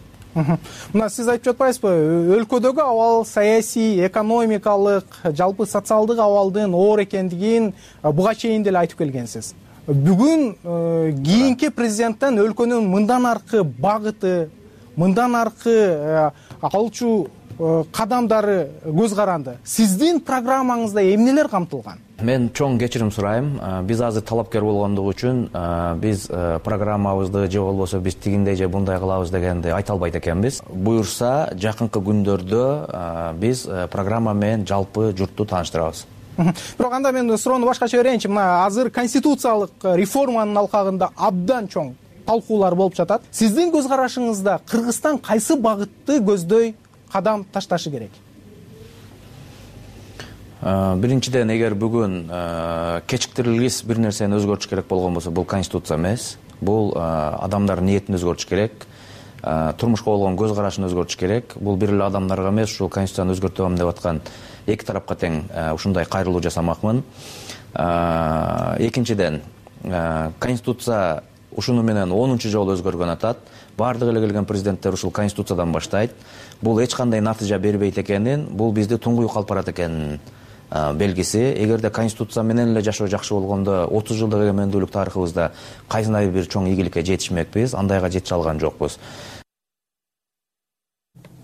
Мына сиз айтып жатпайсызбы, өлкөдөгү абал саясий, экономикалык, жалпы социалдык абалдын оор экендигин буга чейин деле айтып келгенсиз. Бүгүн кийинки президенттен өлкөнүн мындан аркы багыты, мындан аркы алчу кадамдары көз каранды. Сиздин программаңызда эмнелер камтылган? Мен чоң кечирим сурайм. Биз азыр талапкер болгондугу үчүн биз программабызды же болбосо биз тигиндей же мындай кылабыз дегенди айта албайт экенбиз. Буюрса, жакынкы күндөрдө биз программа менен жалпы журтту тааныштырабыз. Бирок анда мен суроону башкача берейинчи. Мына азыр конституциялык реформанын алкагында абдан чоң талкуулар болуп жатат. Сиздин көз карашыңызда Кыргызстан кайсы багытты көздөй кадам ташташы керек? Биринчиден, эгер бүгүн кечиктирилгис бир нерсени өзгөртүш керек болгон болсо, бул конституция эмес. Бул адамдардын ниетин өзгөртүш керек. Турмушка болгон көз карашын өзгөртүш керек. Бул бир эле адамдарга эмес, ушул конституцияны өзгөртөм деп аткан эки тарапка тең ушундай кайрылуу жасамакмын. Экинчиден, конституция ушуну менен онунчу жолу өзгөргөн атат. Бардык эле келген президенттер ушул конституциядан баштайт. Бул эч кандай натыйжа бербейт экенин, бул бизди туңгуюк алып барат экенин белгиси. Эгерде конституция менен эле жашоо жакшы болгондо отуз жылдык эгемендүүлүк тарыхыбызда кайсындай бир чоң ийгиликке жетишмекпиз, андайга жете алган жокпуз.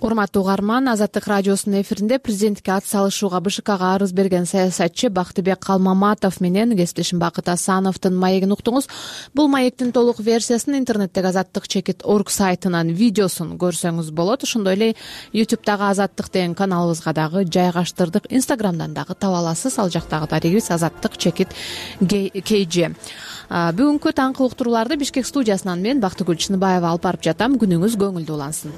урматтуу угарман, Азаттык радиосунун эфиринде президенттикке ат салышууга БШКга арыз берген саясатчы Бактыбек Калмаматов менен кесиптешим Бакыт Асановдун маегин уктуңуз. Бул маектин толук версиясын интернеттеги азаттык чекит орг сайтынан видеосун көрсөңүз болот. Ошондой эле ютубтагы Азаттык деген каналыбызга дагы жайгаштырдык. Инстаграмдан дагы таба аласыз. Ал жактагы дарегибиз Азаттык чекит кей же. Бүгүнкү таңкы уктурууларды Бишкек студиясынан мен Бактыгүл Чыныбаева алып барып жатам. Күнүңүз көңүлдүү улансын.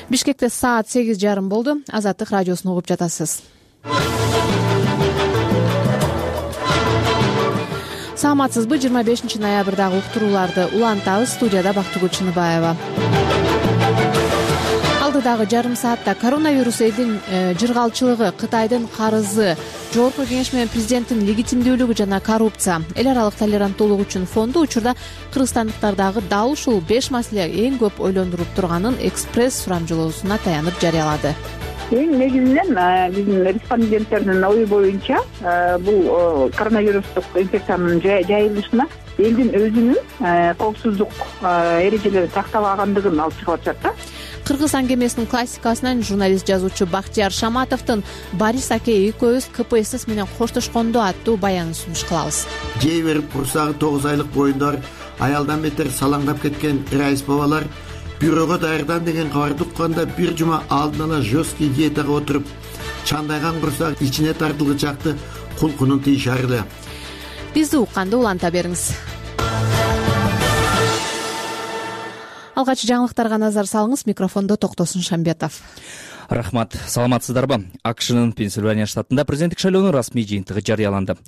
Бишкекте саат сегиз жарым болду. Азаттык радиосун угуп жатасыз. Саламатсызбы? жыйырма бешинчи ноябрдагы уктурууларды улантабыз. Студияда Бактыгүл Чыныбаева. Алдыдагы жарым саатта коронавирус элдин жыргалчылыгы, Кытайдын карызы, Жогорку Кеңеш менен президенттин легитимдүүлүгү жана коррупция, эл аралык толеранттуулук үчүн фонду учурда кыргызстандыктардагы дал ушул беш маселе эң көп ойлондуруп турганын экспресс сурамжылоосуна таянып жарыялады. Эң негизинен биздин респонденттердин ою боюнча бул коронавирустук инфекциянын жайылышына элдин өзүнүн коопсуздук эрежелерин сактабагандыгын алып чыгып атышат да. Кыргыз аңгемесинин классикасынан журналист жазуучу Бактияр Шаматовдун Борис аке экөөбүз КПСС менен коштошкондо аттуу баянын сунуш кылабыз. Жей берип курсагы тогуз айлык боюндар аялдан бетер салаңдап кеткен райыс бабалар бюрого даярдан деген кабарды укканда бир жума алдын ала жесткий диетага отуруп, чандайган курсак ичине тартылгычакты кулкунун тийишарды. Бизди укканды уланта бериңиз. Алгач жаңылыктарга назар салыңыз. Микрофондо Токтосун Шамбетов. Рахмат. Саламатсыздарбы? АКШнын Пенсильвания штатында президенттик шайлоонун расмий жыйынтыгы жарыяланды.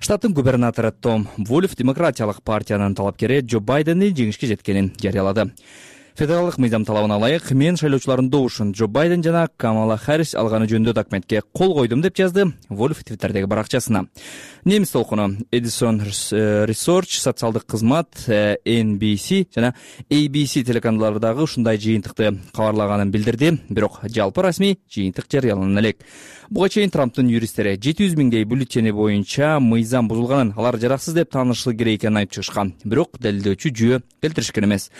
Штаттын губернатору Том Вольф демократиялык партиянын талапкери Джо Байдендин жеңишке жеткенин жарыялады. Федералдык мыйзам талабына ылайык мен шайлоочулардын добушун Джо Байден жана Камала Харрис алганы жөнүндө документке кол койдум деп жазды Вольф Твиттердеги баракчасына. Немис толкуну Edison Research, социалдык кызмат, Эн Би Си жана Эй Би Си телеканалдары дагы ушундай жыйынтыкты кабарлаганын билдирди, бирок жалпы расмий жыйынтык жарыялана элек. Буга чейин Трамптын юристтери жети жүз миңдей бюллетени боюнча мыйзам бузулганын, алар жараксыз деп таанышылы керек экенин айтып чыгышкан, бирок далилдөөчү жүйө келтиришкен эмес.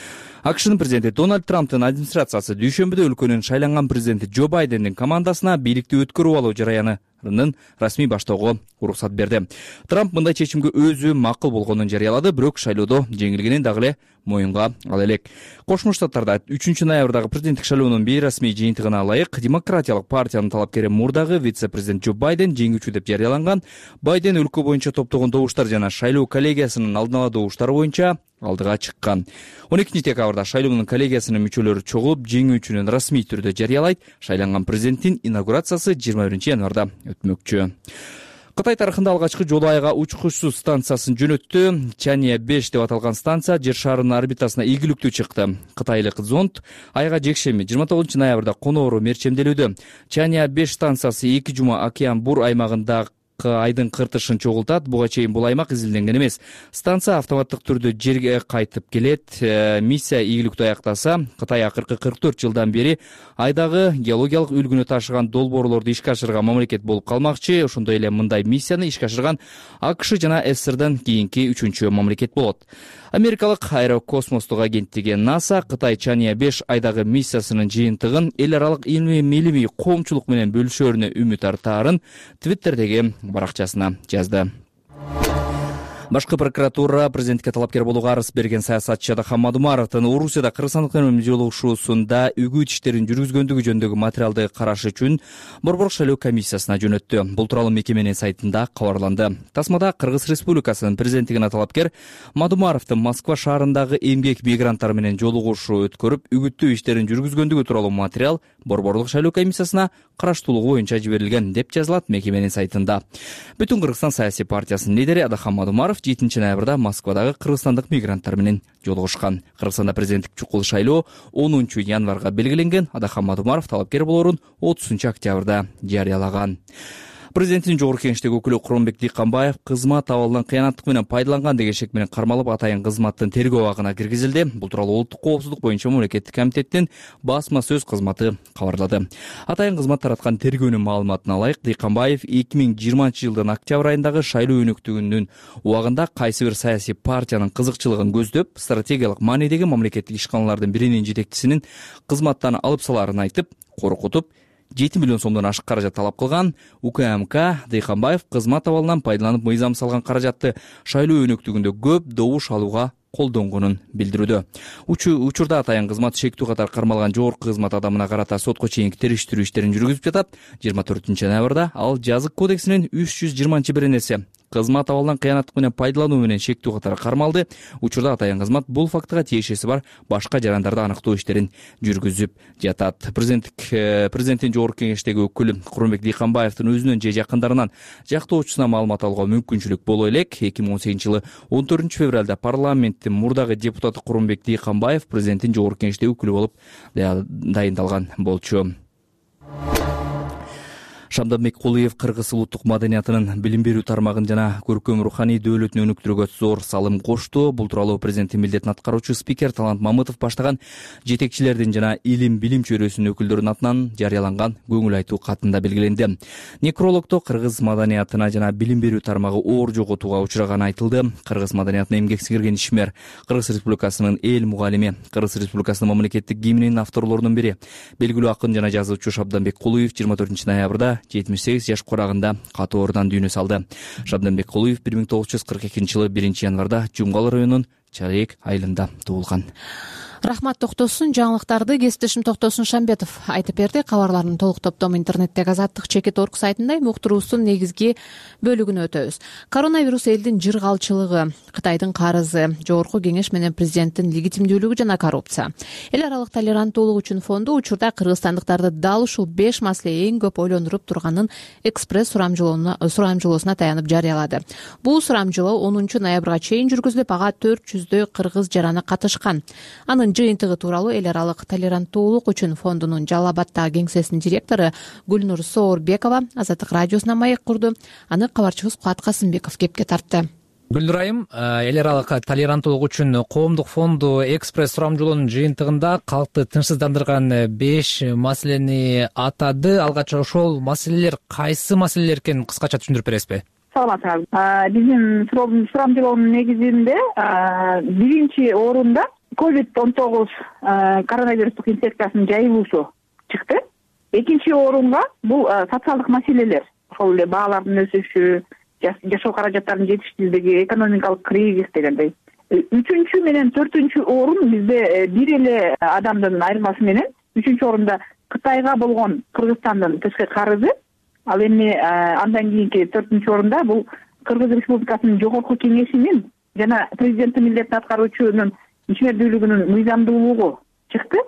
АКШнын президенти Дональд Трамптын администрациясы дүйшөмбүдө өлкөнүн шайланган президенти Джо Байдендин командасына бийликти өткөрүп алуу жараянын расмий баштоого уруксат берди. Трамп мындай чечимге өзү макул болгонун жарыялады, бирок шайлоодо жеңилгенин дагы эле моюнга ала элек. Кошмо Штаттарда үчүнчү ноябрдагы президенттик шайлоонун бейрасмий жыйынтыгына ылайык демократиялык партиянын талапкери мурдагы вице-президент Джо Байден жеңүүчү деп жарыяланган. Байден өлкө боюнча топтогон добуштар жана шайлоо коллегиясынын алдын ала добуштары боюнча алдыга чыккан. он экинчи декабрда шайлоонун коллегиясынын мүчөлөрү чогулуп жеңүүчүнүн расмий түрдө жарыялайт. Шайланган президенттин инаугурациясы жыйырма биринчи январда өтмөкчү. Кытай тарыхында алгачкы жолу айга учкучсуз станциясын жөнөттү. Чанья беш деп аталган станция жер шарынын орбитасына ийгиликтүү чыкты. Кытайлык зонд айга жекшемби жыйырма тогузунчу ноябрда коноору мерчемделүүдө. Чанья беш станциясы эки жума океан бур аймагында айдын кыртышын чогултат. Буга чейин бул аймак изилденген эмес. Станция автоматтык түрдө жерге кайтып келет. Миссия ийгиликтүү аяктаса, Кытай акыркы кырк төрт жылдан бери айдагы геологиялык үлгүнү ташыган долбоорлорду ишке ашырган мамлекет болуп калмакчы. Ошондой эле мындай миссияны ишке ашырган АКШ жана СССРдан кийинки үчүнчү мамлекет болот. Америкалык аэрокосмостук агенттиги НАСА Кытай Чанья беш айдагы миссиясынын жыйынтыгын эл аралык илмий милимий коомчулук менен бөлүшөрүнө үмүт артаарын Твиттердеги баракчасына жазды. Башкы прокуратура президентке талапкер болууга арыз берген саясатчы Адахам Мадумаровдун Орусияда кыргызстандык менен жолугушуусунда үгүт иштерин жүргүзгөндүгү жөнүндөгү материалды караш үчүн Борбордук шайлоо комиссиясына жөнөттү. Бул тууралуу мекеменин сайтында кабарланды. Тасмада Кыргыз Республикасынын президенттигине талапкер Мадумаровдун Москва шаарындагы эмгек мигранттары менен жолугушуу өткөрүп, үгүттүү иштерин жүргүзгөндүгү тууралуу материал Борбордук шайлоо комиссиясына караштуулугу боюнча жиберилген деп жазылат мекеменин сайтында. Бүтүн Кыргызстан саясий партиясынын лидери Адахам Мадумаров жетинчи ноябрда Москвадагы кыргызстандык мигранттар менен жолугушкан. Кыргызстанда президенттик чукул шайлоо онунчу январга белгиленген. Адахам Мадумаров талапкер болоорун отузунчу октябрда жарыялаган. Президенттин жогорку кеңештеги өкүлү Куронбек Дыйканбаев кызмат абалынан кыянаттык менен пайдаланган деген шек менен кармалып, атайын кызматтын тергөө абагына киргизилди. Бул тууралуу Улуттук коопсуздук боюнча мамлекеттик комитеттин басма сөз кызматы кабарлады. Атайын кызмат тараткан тергөөнүн маалыматына ылайык, Дыйканбаев эки миң жыйырманчы жылдын октябрь айындагы шайлоо өнөктүгүнүн убагында кайсы бир саясий партиянын кызыкчылыгын көздөп, стратегиялык маанидеги мамлекеттик ишканалардын биринин жетекчисинин кызматтан алып салаарын айтып, коркутуп, жети миллион сомдон ашык каражат талап кылган. УКМК Дыйканбаев кызмат абалынан пайдаланып мыйзам салган каражатты шайлоо өнөктүгүндө көп добуш алууга колдонгонун билдирүүдө. Учурда атайын кызмат шектүү катары кармалган жогорку кызмат адамына карата сотко чейинки териштирүү иштерин жүргүзүп жатат. жыйырма төртүнчү ноябрда ал жазык кодексинин үч жүз жыйырманчы беренеси кызмат абалынан кыянаттык менен пайдалануу менен шектүү катары кармалды. Учурда атайын кызмат бул фактыга тиешеси бар башка жарандарды аныктоо иштерин жүргүзүп жатат. Президенттик президенттин жогорку кеңештеги өкүлү Куронбек Дыйканбаевдин өзүнөн же жакындарынан жактоочусуна маалымат алууга мүмкүнчүлүк боло элек. эки миң он сегизинчи жылы он төртүнчү февралда парламенттин мурдагы депутаты Куронбек Дыйканбаев президенттин жогорку кеңештеги өкүлү болуп дайындалган болчу. Шамданбек Кулиев кыргыз улуттук маданиятынын билим берүү тармагын жана көркөм руханий дөөлөтүн өнүктүрүүгө зор салым кошту. Бул тууралуу президенттин милдетин аткаруучу спикер Талант Мамытов баштаган жетекчилердин жана илим билим чөйрөсүнүн өкүлдөрүнүн атынан жарыяланган көңүл айтуу катында белгиленди. Некрологдо кыргыз маданиятына жана билим берүү тармагы оор жоготууга учураганы айтылды. Кыргыз маданиятына эмгек сиңирген ишмер, Кыргыз Республикасынын эл мугалими, Кыргыз Республикасынын мамлекеттик гимнинин авторлорунун бири, белгилүү акын жана жазуучу Шамданбек Кулиев жыйырма төртүнчү ноябрда жетимиш сегиз жаш курагында катоорудан дүйнө салды. Шамданбек Кулиев бир миң тогуз жүз кырк экинчи жылы биринчи январда Жумгал районунун Чарек айылында туулган. Рахмат токтосун, жаңылыктарды кесиптешим Токтосун Шамбетов айтып берди. Кабарлардын толук топтому интернеттеги азаттык чекит орг сайтында уктуруубуздун негизги бөлүгүнө өтөбүз. Коронавирус элдин жыргалчылыгы, Кытайдын карызы, жогорку кеңеш менен президенттин легитимдүүлүгү жана коррупция. Эл аралык толеранттуулук үчүн фонду учурда кыргызстандыктарды дал ушул беш маселе эң көп ойлондуруп турганын экспресс сурамжылоосуна таянып жарыялады. Бул сурамжылоо онунчу ноябрга чейин жүргүзүлүп, ага төрт жүздөй кыргыз жараны катышкан. Анын жыйынтыгы тууралуу эл аралык толеранттуулук үчүн фондунун Жалал Абаддагы кеңсесинин директору Гүлнур Соорбекова Азаттык радиосуна маек курду. Аны кабарчыбыз Кубат Касымбеков кепке тартты. Гүлнур айым, эл аралык толеранттуулук үчүн коомдук фонду экспресс сурамжылоонун жыйынтыгында калкты тынчсыздандырган беш маселени атады. Алгач ошол маселелер кайсы маселелер экенин кыскача түшүндүрүп бересизби? Саламатсызбы. Биздин сурамжылоонун негизинде биринчи орунда ковид он тогуз коронавирустук инфекциясынын жайылуусу чыкты. Экинчи орунга бул социалдык маселелер, ошол эле баалардын өсүшү, жашоо каражаттарынын жетишсиздиги, экономикалык кризис дегендей. Үчүнчү менен төртүнчү орун бизде бир эле адамдын айырмасы менен үчүнчү орунда Кытайга болгон Кыргызстандын тышкы карызы, ал эми андан кийинки төртүнчү орунда бул Кыргыз Республикасынын жогорку кеңешинин жана президенттин милдетин аткаруучунун ишмердүүлүгүнүн мыйзамдуулугу чыкты.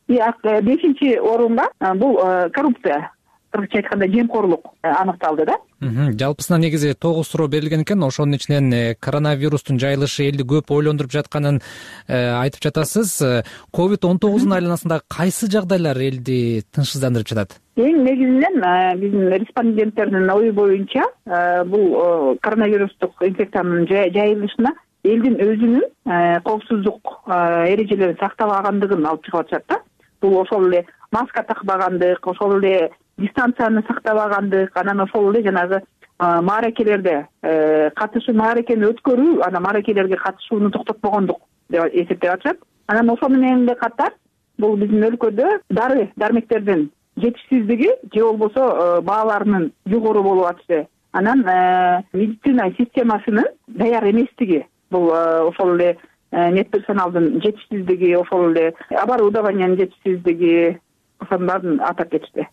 Бешинчи орунга бул коррупция, кыргызча айтканда жемкорлук аныкталды да. Жалпысынан негизи тогуз суроо берилген экен. Ошонун ичинен коронавирустун жайылышы элди көп ойлондуруп жатканын айтып жатасыз. ковид он тогуздун айланасында кайсы жагдайлар элди тынчсыздандырып жатат? Эң негизинен биздин респонденттердин ою боюнча бул коронавирустук инфекциянын жайылышына элдин өзүнүн коопсуздук эрежелерин сактабагандыгын алып чыгып атышат да. Бул ошол эле маска такпагандык, ошол эле дистанцияны сактабагандык, анан ошол эле жанагы мааракелерде катышуу, мааракени өткөрүү, анан мааракелерге катышууну токтотпогондук деп эсептеп атышат. Анан ошол менен эле катар бул биздин өлкөдө дары дармектердин жетишсиздиги же болбосо бааларынын жогору болуп атышы, анан медицина системасынын даяр эместиги, бул ошол эле медперсоналдын жетишсиздиги, ошол эле оборудованиянын жетишсиздиги, ошонун баарын атап кетишти.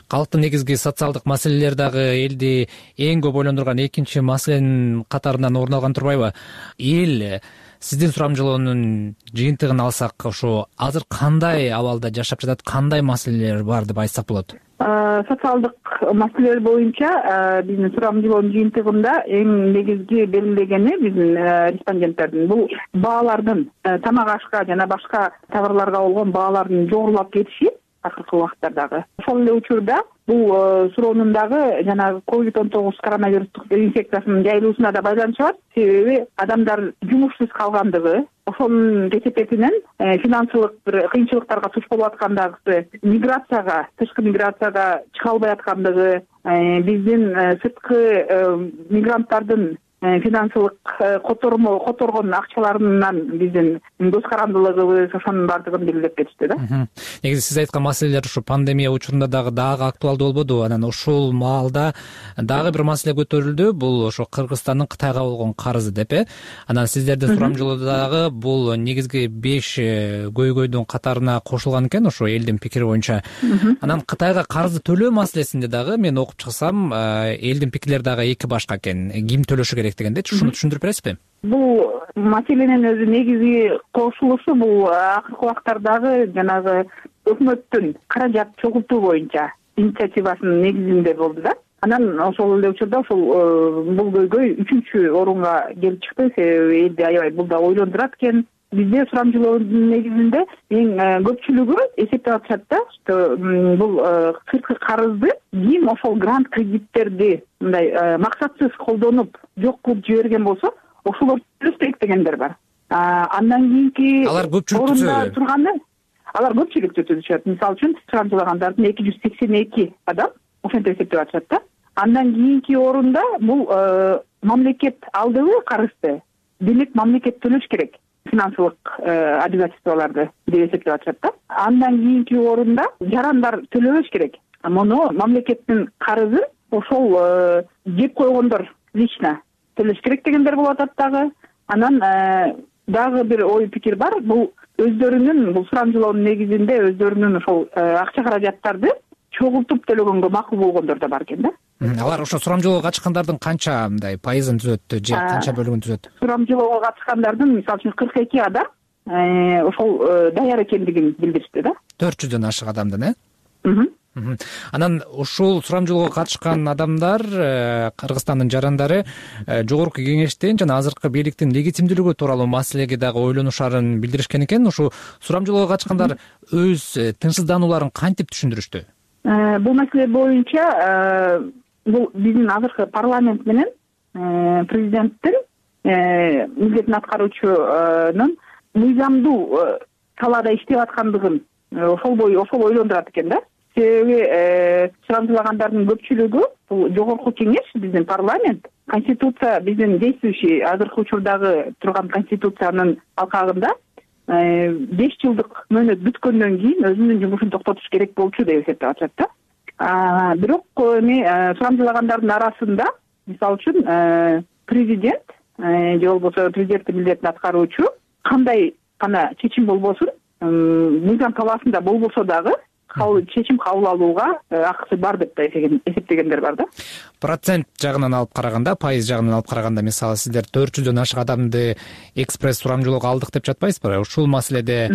Калктын негизги социалдык маселелер дагы элди эң көп ойлондурган экинчи маселенин катарынан орун алган турбайбы? Эл сиздин сурамжылоонун жыйынтыгын алсак, ошо азыр кандай абалда жашап жатат, кандай маселелер бар деп айтсак болот? Социалдык маселелер боюнча биздин сурамжылоонун жыйынтыгында эң негизги белгилегени биздин респонденттердин бул баалардын, тамак ашка жана башка товарларга болгон баалардын жогорулап кетиши акыркы убакыттардагы. Ошол эле учурда бул суроонун дагы жанагы ковид он тогуз коронавирустук инфекциясынын жайылуусуна да байланышы бар. Себеби адамдар жумушсуз калгандыгы, ошонун кесепетинен финансылык бир кыйынчылыктарга туш болуп аткандыгы, миграцияга, тышкы миграцияга чыга албай аткандыгы, биздин сырткы мигранттардын финансылык котормо которгон акчаларынан биздин көз карандылыгыбыз ошонун баардыгын белгилеп кетишти да. Негизи сиз айткан маселелер ушу пандемия учурунда дагы дагы актуалдуу болбодубу? Анан ушул маалда дагы бир маселе көтөрүлдү, бул ошо Кыргызстандын Кытайга болгон карызы деп э. Анан сиздердин сурамжылоодо дагы бул негизги беш көйгөйдүн катарына кошулган экен, ошо элдин пикири боюнча. Анан Кытайга карызды төлөө маселесинде дагы мен окуп чыксам, элдин пикирлери дагы эки башка экен. Ким төлөшү керек дегенде, ушуну түшүндүрүп бересизби? Бул маселенин өзү негизи кошулушу бул акыркы убактардагы жанагы өкмөттүн каражат чогултуу боюнча инициативасынын негизинде болду да. Анан ошол эле учурда ошол бул көйгөй үчүнчү орунга келип чыкты. Себеби элди аябай бул да ойлондурат экен. Бизде сурамжылоонун негизинде эң көпчүлүгү эсептеп атышат да, что бул сырткы карызды ким ошол грант кредиттерди мындай максатсыз колдонуп жок кылып жиберген болсо, ошолор төлөшпөйт дегендер бар. Андан кийинки алар көпчүлүктү турганы, алар көпчүлүктү түзүшөт. Мисалы үчүн сурамжылагандардын эки жүз сексен эки адам ошентип эсептеп атышат да. Андан кийинки орунда бул мамлекет алдыбы карызды, демек мамлекет төлөш керек. Финансылык обязательстволарды деп эсептеп атышат да. Андан кийинки орунда жарандар төлөбөш керек. Муну мамлекеттин карызы ошол жеп койгондор лично төлөш керек дегендер болуп атат дагы. Анан дагы бир ой пикир бар. Бул өздөрүнүн бул сурамжылоонун негизинде өздөрүнүн ошол акча каражаттарды чогултуп төлөгөнгө макул болгондор да бар экен да. Алар ошо сурамжылоого катышкандардын канча мындай пайызын түзөт же канча бөлүгүн түзөт? Сурамжылоого катышкандардын мисалы үчүн кырк эки адам ошол даяр экендигин билдиришти да. төрт жүздөн ашык адамдын, э? Анан ушул сурамжылоого катышкан адамдар, Кыргызстандын жарандары жогорку кеңештин жана азыркы бийликтин легитимдүүлүгү тууралуу маселеге дагы ойлонушарын билдиришкен экен. Ушу сурамжылоого катышкандар өз тынчсызданууларын кантип түшүндүрүштү? Бул маселе боюнча бул биздин азыркы парламент менен президенттин милдетин аткаруучунун мыйзамдуу талаада иштеп аткандыгын ошол бою ошол ойлондурат экен да. Себеби сурамжылагандардын көпчүлүгү бул жогорку кеңеш, биздин парламент, конституция, биздин действующий азыркы учурдагы турган конституциянын алкагында беш жылдык мөөнөт бүткөндөн кийин өзүнүн жумушун токтотуш керек болчу деп эсептеп атышат да. Бирок эми сурамжылагандардын арасында мисалы үчүн президент же болбосо президенттин милдетин аткаруучу кандай гана чечим болбосун, мыйзам талаасында болбосо дагы чечим кабыл алууга акысы бар деп эсептегендер бар да. Процент жагынан алып караганда, пайыз жагынан алып караганда, мисалы сиздер төрт жүздөн ашык адамды экспресс сурамжылоого алдык деп жатпайсызбы? Ушул маселеде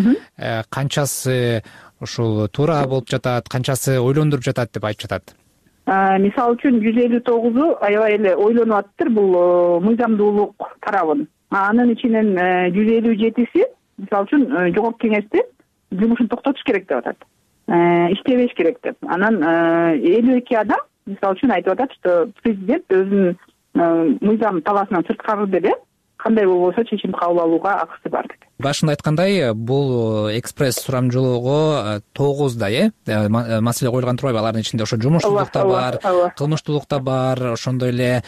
канчасы ушул туура болуп жатат, канчасы ойлондуруп жатат деп айтып жатат? Мисалы үчүн жүз элүү тогузу аябай эле ойлонуп атыптыр бул мыйзамдуулук тарабын. Анын ичинен жүз элүү жетиси мисалы үчүн жогорку кеңешти жумушун токтотуш керек деп атат. Иштебеш керек деп. Анан элүү эки адам мисалы үчүн айтып атат, что президент өзүнүн мыйзам талаасынан сырткары деле кандай болбосо чечим кабыл алууга акысы бар деп. Башында айткандай, бул экспресс сурамжылоого тогуздай э маселе коюлган турбайбы? Алардын ичинде ошо жумушсуздук да бар, кылмыштуулук да бар, ошондой эле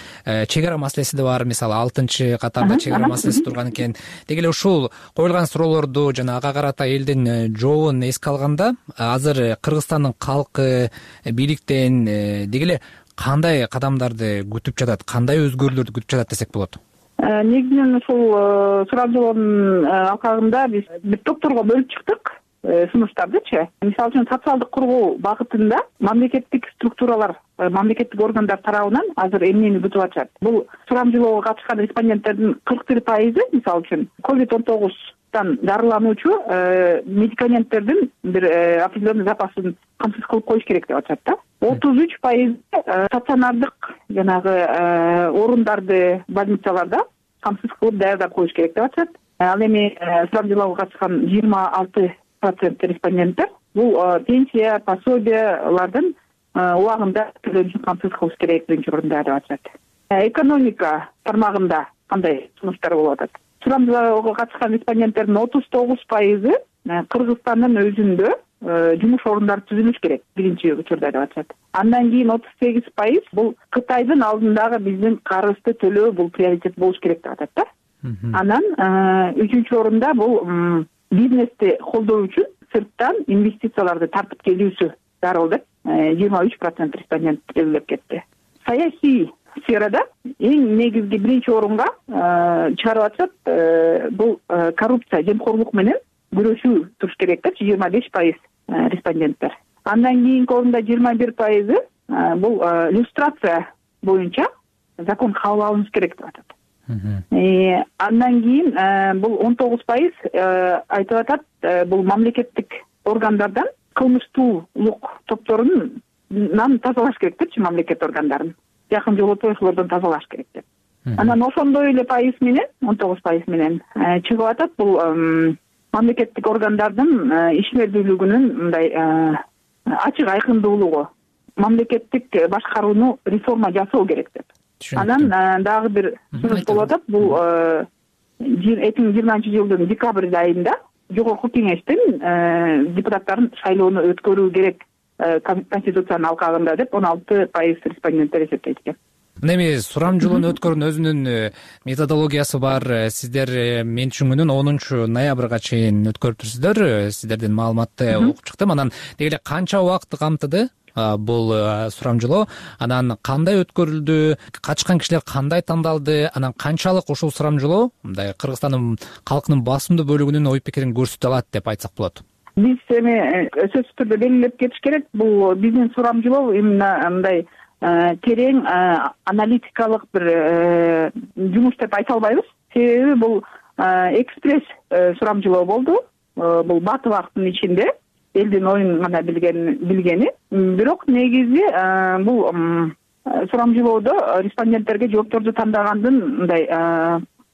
чек ара маселеси да бар. Мисалы алтынчы катарда чек ара маселеси турган экен. Деги эле ушул коюлган суроолорду жана ага карата элдин жообун эске алганда, азыр Кыргызстандын калкы бийликтен деги эле кандай кадамдарды күтүп жатат, кандай өзгөрүүлөрдү күтүп жатат десек болот? Негизинен ушул сурамжылоонун алкагында биз бир топторго бөлүп чыктык сунуштардычы. Мисалы үчүн социалдык кургоо багытында мамлекеттик структуралар, мамлекеттик органдар тарабынан азыр эмнени күтүп атышат? Бул сурамжылоого катышкан респонденттердин кырк бир пайызы мисалы үчүн ковид он тогуздан дарылануучу медикаменттердин бир определенный запасын камсыз кылып коюш керек деп атышат да. отуз үч пайыз стационардык жанагы орундарды больницаларда камсыз кылып даярдап коюш керек деп атышат. Ал эми сурамжылоого катышкан жыйырма алты процент респонденттер бул пенсия, пособиялардын убагында төлөнүшүн камсыз кылыш керек биринчи орунда деп атышат. Экономика тармагында кандай сунуштар болуп атат? Сурамжылоого катышкан респонденттердин отуз тогуз пайызы Кыргызстандын өзүндө жумуш орундары түзүлүш керек биринчи учурда деп атышат. Андан кийин отуз сегиз пайыз бул Кытайдын алдындагы биздин карызды төлөө бул приоритет болуш керек деп атат да. Анан үчүнчү орунда бул бизнести колдоо үчүн сырттан инвестицияларды тартып келүүсү зарыл деп жыйырма үч процент респондент белгилеп кетти. Саясий сферада эң негизги биринчи орунга чыгарып атышат бул коррупция, жемкорлук менен күрөшүү туруш керек деп жыйырма беш пайыз респонденттер. Андан кийинки орунда жыйырма бир пайызы бул люстрация боюнча закон кабыл алыныш керек деп атат. Андан кийин бул он тогуз пайыз айтып атат бул мамлекеттик органдардан кылмыштуулук топторунан тазалаш керек депчи, мамлекет органдарын жакын жолотуучулардан тазалаш керек деп. Анан ошондой эле пайыз менен он тогуз пайыз менен чыгып атат бул мамлекеттик органдардын ишмердүүлүгүнүн мындай ачык айкындуулугу, мамлекеттик башкарууну реформа жасоо керек деп. Анан дагы бир сунуш болуп атат, бул эки миң жыйырманчы жылдын декабрь айында жогорку кеңештин депутаттарын шайлоону өткөрүү керек Конституциянын алкагында деп он алты пайыз респонденттер эсептейт экен. Эми сурамжылоону өткөрүүнүн өзүнүн методологиясы бар. Сиздер мен түшүнгөнүм онунчу ноябрга чейин өткөрүп турсуздар. Сиздердин маалыматты окуп чыктым. Анан деги эле канча убакытты камтыды бул сурамжылоо? Анан кандай өткөрүлдү? Катышкан кишилер кандай тандалды? Анан канчалык ушул сурамжылоо мындай Кыргызстандын калкынын басымдуу бөлүгүнүн ой пикирин көрсөтө алат деп айтсак болот? Биз эми сөзсүз түрдө белгилеп кетиш керек. Бул биздин сурамжылоо именно мындай терең аналитикалык бир жумуш деп айта албайбыз. Себеби бул экспресс сурамжылоо болду. Бул бат убакыттын ичинде элдин оюн гана билгени. Бирок негизи бул сурамжылоодо респонденттерге жоопторду тандагандын мындай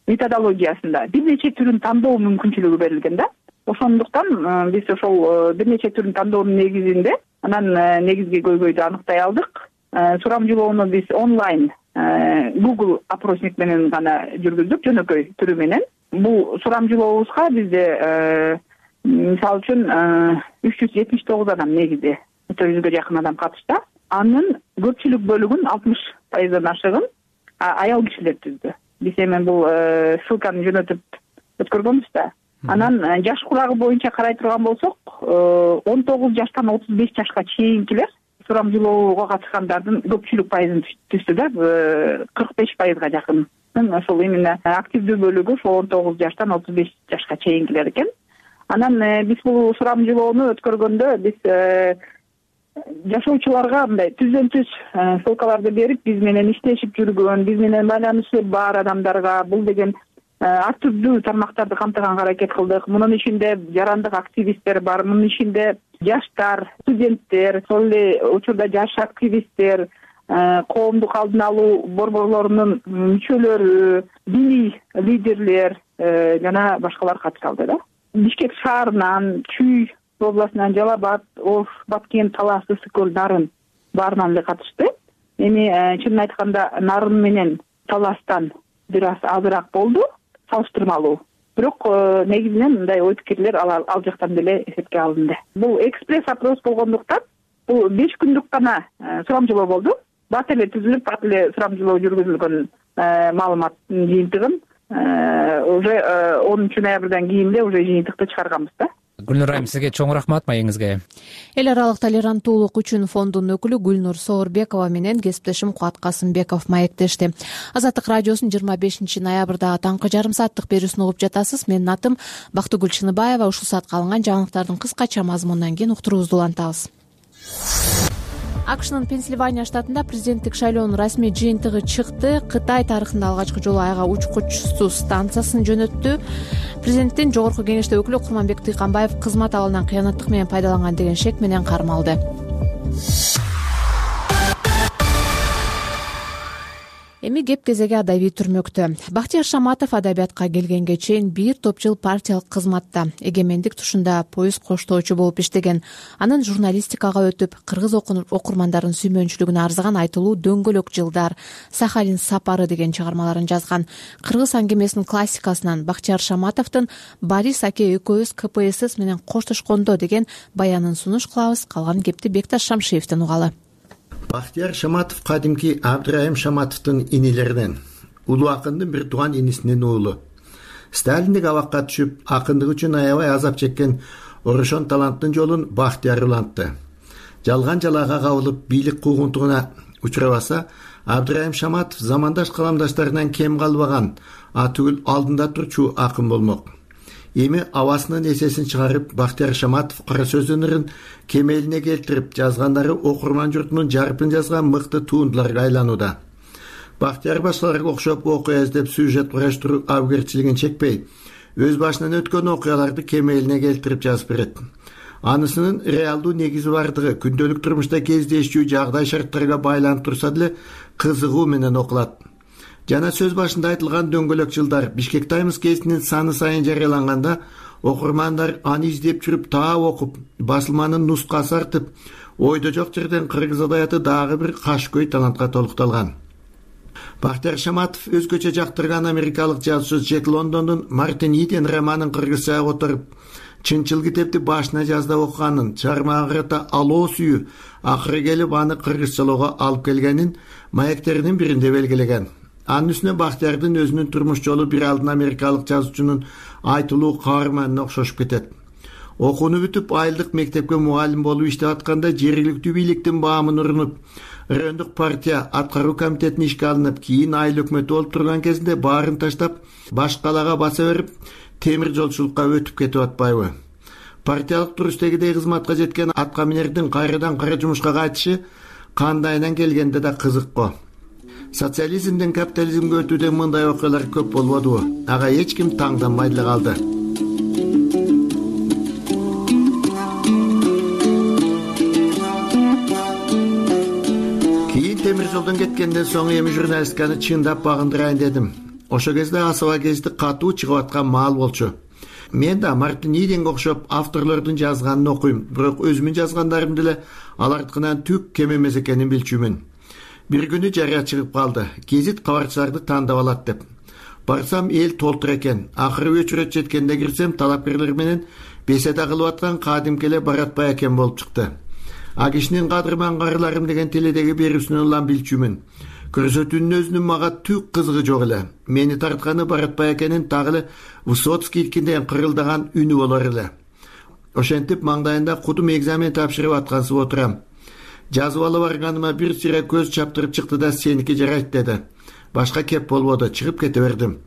методологиясында бир нече түрүн тандоо мүмкүнчүлүгү берилген да. Ошондуктан биз ошол бир нече түрүн тандоонун негизинде анан негизги көйгөйдү аныктай алдык. Сурамжылоону биз онлайн Google опросник менен гана жүргүздүк, жөнөкөй түрү менен. Бул сурамжылообузга бизде мисалы үчүн үч жүз жетимиш тогуз адам негизи жүзгө жакын адам катышты. Анын көпчүлүк бөлүгүн алтымыш пайыздан ашыгын аял кишилер түздү. Биз эми бул ссылканы жөнөтүп өткөргөнбүз да. Анан жаш курагы боюнча карай турган болсок, он тогуз жаштан отуз беш жашка чейинкилер сурамжылоого катышкандардын көпчүлүк пайызын түздү да, кырк беш пайызга жакын. Ошол именно активдүү бөлүгү ошол он тогуз жаштан отуз беш жашка чейинкилер экен. Анан биз бул сурамжылоону өткөргөндө биз жашоочуларга мындай түздөн түз ссылкаларды берип, биз менен иштешип жүргөн, биз менен байланышы бар адамдарга бул деген ар түрдүү тармактарды камтыганга аракет кылдык. Мунун ичинде жарандык активисттер бар, мунун ичинде жаштар, студенттер, ошол эле учурда жаш активисттер, коомдук алдын алуу борборлорунун мүчөлөрү, диний лидерлер жана башкалар катыша алды да. Бишкек шаарынан, Чүй областынан, Жалал Абад, Ош, Баткен, Талас, Ысык көл, Нарын баарынан эле катышты. Эми чынын айтканда Нарын менен Таластан бир аз азыраак болду, салыштырмалуу. Бирок негизинен мындай ой пикирлер ал, ал жактан деле эсепке алынды. Бул экспресс опрос болгондуктан бул беш күндүк гана сурамжылоо болду. Бат эле түзүлүп, бат эле сурамжылоо жүргүзүлгөн маалыматтын жыйынтыгын уже онунчу ноябрдан кийин эле уже жыйынтыкты чыгарганбыз да. Гүлнур айым, сизге чоң рахмат маегиңизге. Эл аралык толеранттуулук үчүн фондунун өкүлү Гүлнур Соорбекова менен кесиптешим Кубат Касымбеков маектешти. Азаттык радиосунун жыйырма бешинчи ноябрдагы таңкы жарым сааттык берүүсүн угуп жатасыз. Менин атым Бактыгүл Чыныбаева. Ушул саатка алынган жаңылыктардын кыскача мазмунунан кийин уктуруубузду улантабыз. АКШнын Пенсильвания штатында президенттик шайлоонун расмий жыйынтыгы чыкты. Кытай тарыхында алгачкы жолу айга учкучсуз станциясын жөнөттү. Президенттин жогорку кеңеште өкүлү Курманбек Тыйканбаев кызмат абалынан кыянаттык менен пайдаланган деген шек менен кармалды. Эми кеп кезеги адабий түрмөктө. Бактияр Шаматов адабиятка келгенге чейин бир топ жыл партиялык кызматта, эгемендик тушунда поезд коштоочу болуп иштеген. Анан журналистикага өтүп, кыргыз окурмандарын сүймөнчүлүгүнө арзыган айтылуу дөңгөлөк жылдар, Сахалин сапары деген чыгармаларын жазган. Кыргыз аңгемесинин классикасынан Бактияр Шаматовдун Борис аке экөөбүз ка пэ эс менен коштошкондо деген баянын сунуш кылабыз. Калган кепти Бекташ Шамшиевден угалы. Бактияр Шаматов кадимки Абдрайым Шаматовдун инилеринен, улуу акындын бир тууган инисинин уулу. Сталиндик абакка түшүп, акындык үчүн аябай азап чеккен Орошон таланттын жолун Бактияр улантты. Жалган жалаага кабылып, бийлик куугунтугуна учурабаса, Абдрайым Шаматов замандаш каламдаштарынан кем калбаган, атүгүл алдында турчу акын болмок. Эми абасынын эсесин чыгарып, Бактияр Шаматов кара сөз өнөрүн кемелине келтирип, жазгандары окурман журтунун жарпын жазган мыкты туындуларга айланууда. Бактияр башкаларга окшоп окуя издеп сюжет кураштыруу абгерчилигин чекпей, өз башынан өткөн окуяларды кемелине келтирип жазып берет. Анысынын реалдуу негизи бардыгы күндөлүк турмушта кездешчү жагдай шарттарга байланып турса деле кызыгуу менен окулат. Жана сөз башында айтылган дөңгөлөк жылдар Бишкек Таймс гезитинин саны сайын жарыяланганда, окурмандар аны издеп жүрүп таап окуп, басылманын нускасы артып, ойдо жок жерден кыргыз адабияты дагы бир кашкөй талантка толукталган. Бактияр Шаматов өзгөчө жактырган америкалык жазуучу Джек Лондондун Мартин Иден романын кыргызчага которуп, чынчыл китепти башына жазда окуганын, чыгармага карата алоо сүйүү акыры келип аны кыргызчалоого алып келгенин маектеринин биринде белгилеген. Анын үстүнө Бактиярдын өзүнүн турмуш жолу бир алдын америкалык жазуучунун айтылуу каарманына окшошуп кетет. Окууну бүтүп, айылдык мектепке мугалим болуп иштеп атканда жергиликтүү бийликтин баамын урунуп, райондук партия аткаруу комитетине ишке алынып, кийин айыл өкмөтү болуп турган кезинде баарын таштап, баш калаага баса берип, темир жолчулукка өтүп кетип атпайбы? Партиялык туруштегидей кызматка жеткен атка минердин кайрадан кара жумушка кайтышы кандайынан келгенде да кызык го. Социализмден капитализмге өтүүдө мындай окуялар көп болбодубу? Ага эч ким таңданбай деле калды. Кийин темир жолдон кеткенден соң эми журналистиканы чындап багындырайын дедим. Ошо кезде Асаба гезити катуу чыгып аткан маал болчу. Мен да Мартин Иденге окшоп авторлордун жазганын окуйм, бирок өзүмдүн жазгандарым деле алардыкынан түк кем эмес экенин билчүмүн. Бир күнү жарыя чыгып калды. Гезит кабарчыларды тандап алат деп. Барсам эл толтур экен. Акыры өчүрөт жеткенде кирсем, талапкерлер менен беседа кылып аткан кадимки эле Баратбай экен болуп чыкты. А кишинин кадырман карыларым деген теледеги берүүсүнөн улам билчүмүн. Көрсөтүүнүн өзүнүн мага түк кызыгы жок эле. Мени тартканы Баратбай экенин дагы эле Высоцкий илкинден кырылдаган үнү болор эле. Ошентип маңдайында кудум экзамен тапшырып аткансып отурам. Жазып алып барганыма бир сыйра көз чаптырып чыкты да сеники жарайт деди. Башка кеп болбоду, чыгып кете бердим.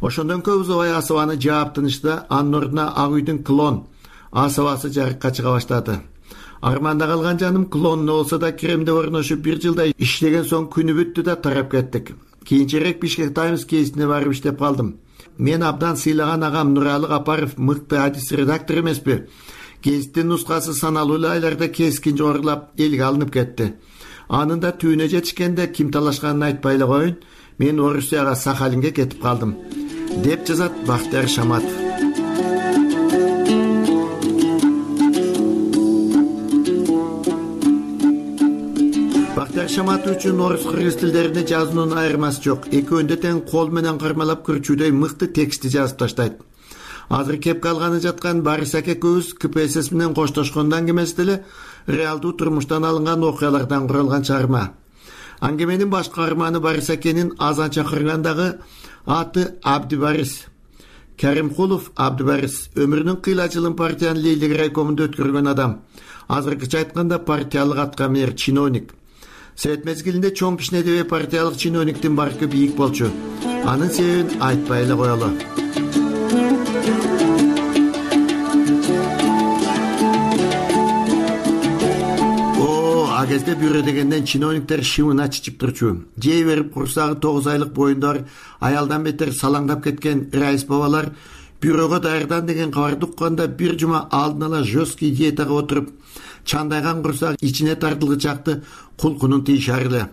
Ошондон көп узабай Асабаны жаап тынышты, анын ордуна Ак үйдүн клон Асабасы жарыкка чыга баштады. Арманда калган жаным клонуна болсо да Кремде орношуп бир жылда иштеген соң күнү бүттү да тарап кеттик. Кийинчерээк Бишкек Таймс гезитине барып иштеп калдым. Мен абдан сыйлаган агам Нуралы Капаров мыкты адис редактор эмеспи? Гезиттин нускасы саналуу эле айларда кескин жогорулап элге алынып кетти. Анын да түбүнө жетишкенде ким талашканын айтпай эле коеюн, мен Орусияга Сахалинге кетип калдым, деп жазат Бактияр Шаматов. Бактияр Шаматов үчүн орус кыргыз тилдерине жазуунун айырмасы жок. Экөөндө тең кол менен кармалап көрчүүдөй мыкты текстти жазып таштайт. Азыр кеп калганы жаткан Борис аке экөөбүз ка пэ эс менен коштошкондо аңгемеси деле реалдуу турмуштан алынган окуялардан куралган чыгарма. Аңгеменин баш каарманы Борис акенин азан чакыргандагы аты Абдибарис. Каримкулов Абдибарис өмүрүнүн кыйла жылын партиянын лейлик райкомунда өткөргөн адам. Азыркыча айтканда партиялык атка минер чиновник. Совет мезгилинде чоң пишнеде партиялык чиновниктин баркы бийик болчу. Анын себебин айтпай эле коелу. А кезде бюро дегенден чиновниктер шымына чичип турчу. Жей берип курсагы тогуз айлык боюндар, аялдан бетер салаңдап кеткен райыс бабалар бюрого даярдан деген кабарды укканда бир жума алдын ала жесткий диетага отуруп, чандайган курсак ичине тартылгычакты кулкунун тийишар эле.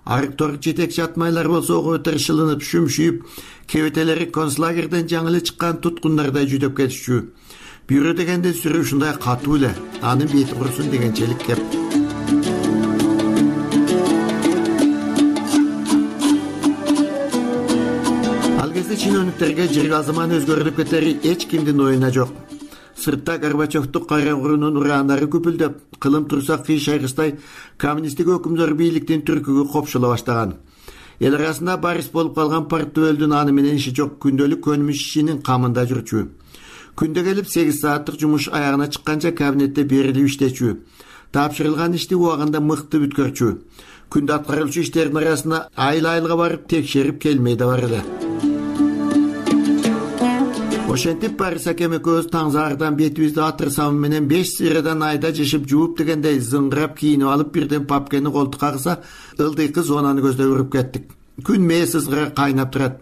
арыктор жетекчи атмайлар болсо ого тыршылынып шүмшүйүп, кебетелери концлагерден жаңы эле чыккан туткундардай жүдөп кетишчү. Бүйрө дегенде сүрүү ушундай катуу эле, анын бети курусун дегенчелик кеп. Ал кезде чиновниктерге жыргал заман өзгөрүлүп кетери эч кимдин оюна жок. Сыртта Горбачевдук кайра курунун ураандары күпүлдөп, кылым турса кыйш айгыстай коммунисттик өкүмдөр бийликтин түркүгү копшола баштаган. Эл арасында барис болуп калган партбөлдүн аны менен иши жок, күндөлүк көнүмүш ишинин камында жүрчү. Күндө келип сегиз сааттык жумуш аягына чыкканча кабинетте берилип иштечү. Тапшырылган ишти убагында мыкты бүткөрчү. Күндө аткарылчу иштердин арасында айыл айылга барып текшерип келмей да бар эле. Ошентип Барис акем экөөбүз таңзаардан бетибизди атыр самы менен беш сыйрадан айда жешип жууп дегендей зыңгырап кийинип алып бирден папкени колтукка кыса, ылдыйкы зонаны көздөй уруп кеттик. Күн мээс ызгыра кайнап турат.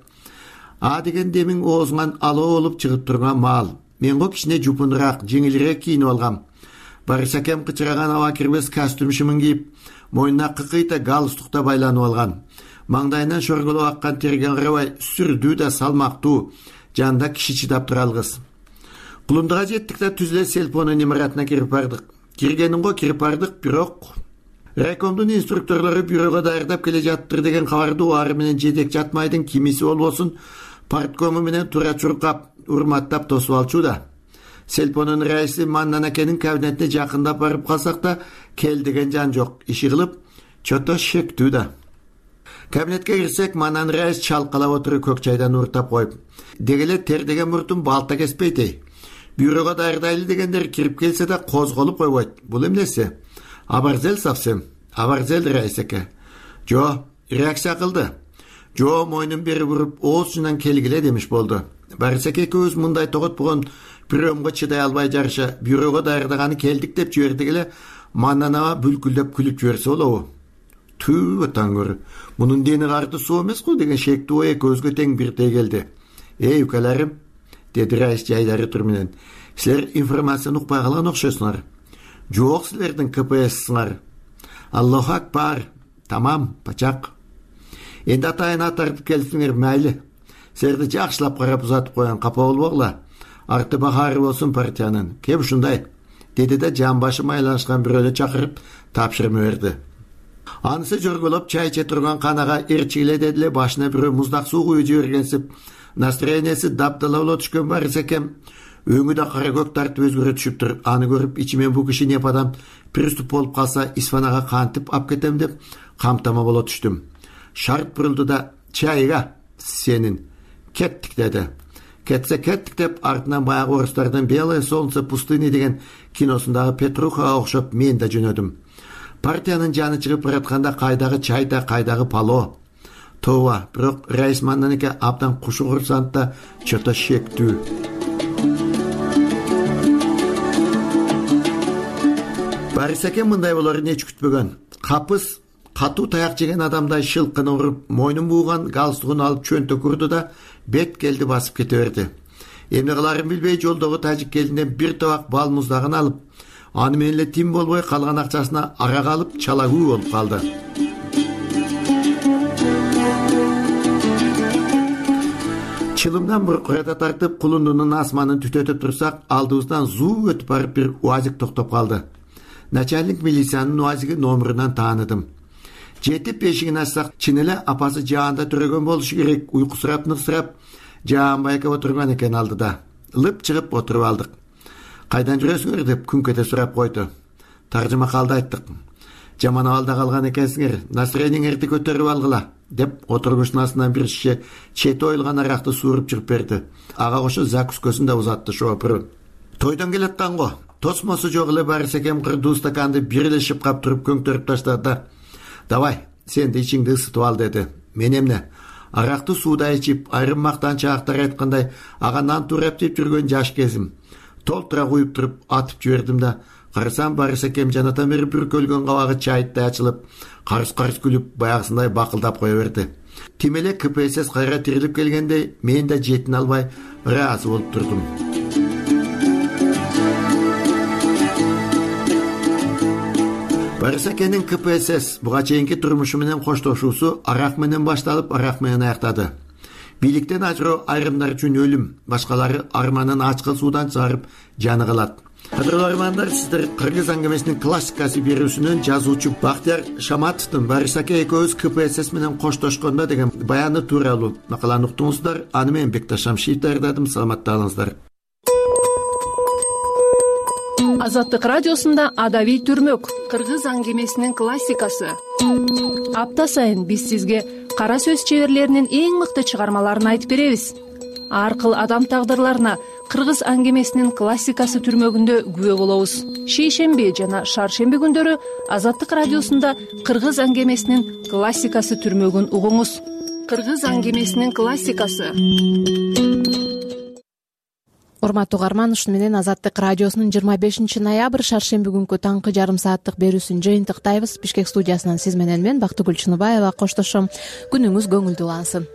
А деген демиң оозуңан алоо болуп чыгып турган маал. Мен го кичине жупунураак, жеңилирээк кийинип алгам. Барис акем кычыраган аба кирбес костюм шымын кийип, мойнуна кыкыйта галстукта байланып алган. Маңдайынан шорголоп аккан терге карабай, сүрдүү да салмактуу. Жанында киши чыдап тура алгыс. Кулундага жеттик да түз эле Сельпонун имаратына кирип бардык. Киргенин го кирип бардык, бирок райкомдун инструкторлору бюрого даярдап келе жаттыр деген кабарды убары менен жетекчи атмайдын кимиси болбосун парткому менен туура чуркап, урматтап тосуп алчу да. Сельпонун раиси Маннан акенин кабинетине жакындап барып калсак да, кел деген жан жок. Иши кылып, чото шектүү да. Кабинетке кирсек, Маннан раис чалкалап отуруп көк чайдан уртап коюп, дегеле тер деген муртун балта кеспейт эй. Бюрого даярдайлы дегендер кирип келсе да козголуп койбойт. Бул эмнеси? Абарзел совсем. Абарзел раис аке. Жо, реакция кылды. Жо мойнун бери буруп, оозунан келгиле демиш болду. Барис аке экөөбүз мындай тогот болгон приемго чыдай албай жарыша бюрого даярдаганы келдик деп жибердик эле, Маннан аба бүлкүлдөп күлүп жиберсе болобу? Түү таңгөр. Мунун дени карды суу эмес го деген шектүү ой экөөбүзгө тең бирдей келди. Эй укаларым, деди раис жайдары тур менен. Силер информацияны укпай калган окшойсуңар. Жок, силердин ка пэ эссиңар. Аллаху акбар. Тамам, пачак. Энди атайын тартып келсиңер майли. Силерди жакшылап карап узатып коюн, капа болбогула. Арты бахары болсун партиянын. Кеп ушундай, деди да жан башы майланышкан бирөөнү чакырып тапшырма берди. Анысы жөргөлөп чай иче турган канага эрчигиле дедиле, башына бирөө муздак суу куюп жибергенсип, настроениясы даптала боло түшкөн Барис акем өңү да кара көк тартып өзгөрө түшүптүр. Аны көрүп ичимен бу киши неп адам приступ болуп калса исфанага кантип ап кетем деп камтама боло түштүм. Шарт бурулду да чайга сенин кеттик деди. Кетсе кеттик деп артынан баягы орустардын Белое солнце пустыни деген киносундагы Петрухага окшоп мен да жөнөдүм. Партиянын жаны чыгып баратканда кайдагы чай да, кайдагы пало. Тооба, бирок раис Маннан аке абдан кушу курсантта чото шектүү. Барис аке мындай болорун эч күтпөгөн. Капыс катуу таяк жеген адамдай шылкыны уруп, мойнун бууган галстугун алып чөнтө курду да бет келди басып кете берди. Эмне кыларын билбей жолдогу тажик келинден бир табак бал муздагын алып, аны менен эле тим болбой калган акчасына арак алып чалагүү болуп калды. Чылымдан буркурата тартып, кулундунун асманын түтөтүп турсак, алдыбыздан зуу өтүп барып бир уазик токтоп калды. Начальник милициянын уазиги номурунан тааныдым. Жетип бешигин ачсак, чын эле апасы жаанда төрөгөн болушу керек. Уйкусурап ныксырап, жаанбай эке отурган экен алдыда. Лып чыгып отуруп алдык. Кайдан жүрөсүңөр деп күнкете сурап койду. Таржыма калды айттык. Жаман абалда калган экенсиңер, настроениңерди көтөрүп алгыла деп отургучтун астынан бир шише чет оюлган аракты сууруп чыгып берди. Ага кошо закускөсүн да узатты шоопуру. Тойдон келаткан го. Тосмосу жок эле Барис акем кырдуу стаканды бир эле шыпкап туруп көңтөрүп таштады да: "Давай, сен да ичиңди ысытып ал" деди. Мен эмне? Аракты сууда ичип, айрым мактанчаактар айткандай, ага нан туурап жеп жүргөн жаш кезим. Толтура куюп туруп атып жибердим да, карасам Барис акем жанатан бери бүркөлгөн кабагы чайыттай ачылып, карыс-карыс күлүп, баягысындай бакылдап кое берди. Тим эле ка пэ эс кайра тирилип келгендей, мен да жетин албай ыраазы болуп турдум. Барисакенин ка пэ эс эс буга чейинки турмушу менен коштошуусу арак менен башталып, арак менен аяктады. Бийликтен ажыроо айрымдар үчүн өлүм, башкалары арманын ачкы суудан чыгарып жаны калат. Кадырлуу армандар, сиздер кыргыз аңгемесинин классикасы берүүсүнөн жазуучу Бактияр Шаматовдун Барисаке экөөбүз ка пэ эс эс менен коштошкондо деген баяны тууралуу макаланы уктуңуздар. Аны мен Бекташ Шамшиев даярдадым. Саламатта калыңыздар. Азаттык радиосунда Адабий түрмөк, кыргыз аңгемесинин классикасы. Апта сайын биз сизге кара сөз чеберлеринин эң мыкты чыгармаларын айтып беребиз. Ар кыл адам тагдырларына кыргыз аңгемесинин классикасы түрмөгүндө күбө болобуз. Шейшемби жана шаршемби күндөрү Азаттык радиосунда кыргыз аңгемесинин классикасы түрмөгүн угуңуз. Кыргыз аңгемесинин классикасы. Урматтуу угарман, ушуну менен Азаттык радиосунун жыйырма бешинчи ноябрь шаршемби күнкү таңкы жарым сааттык берүүсүн жыйынтыктайбыз. Бишкек студиясынан сиз менен мен Бактыгүл Чыныбаева коштошом. Күнүңүз көңүлдүү улансын.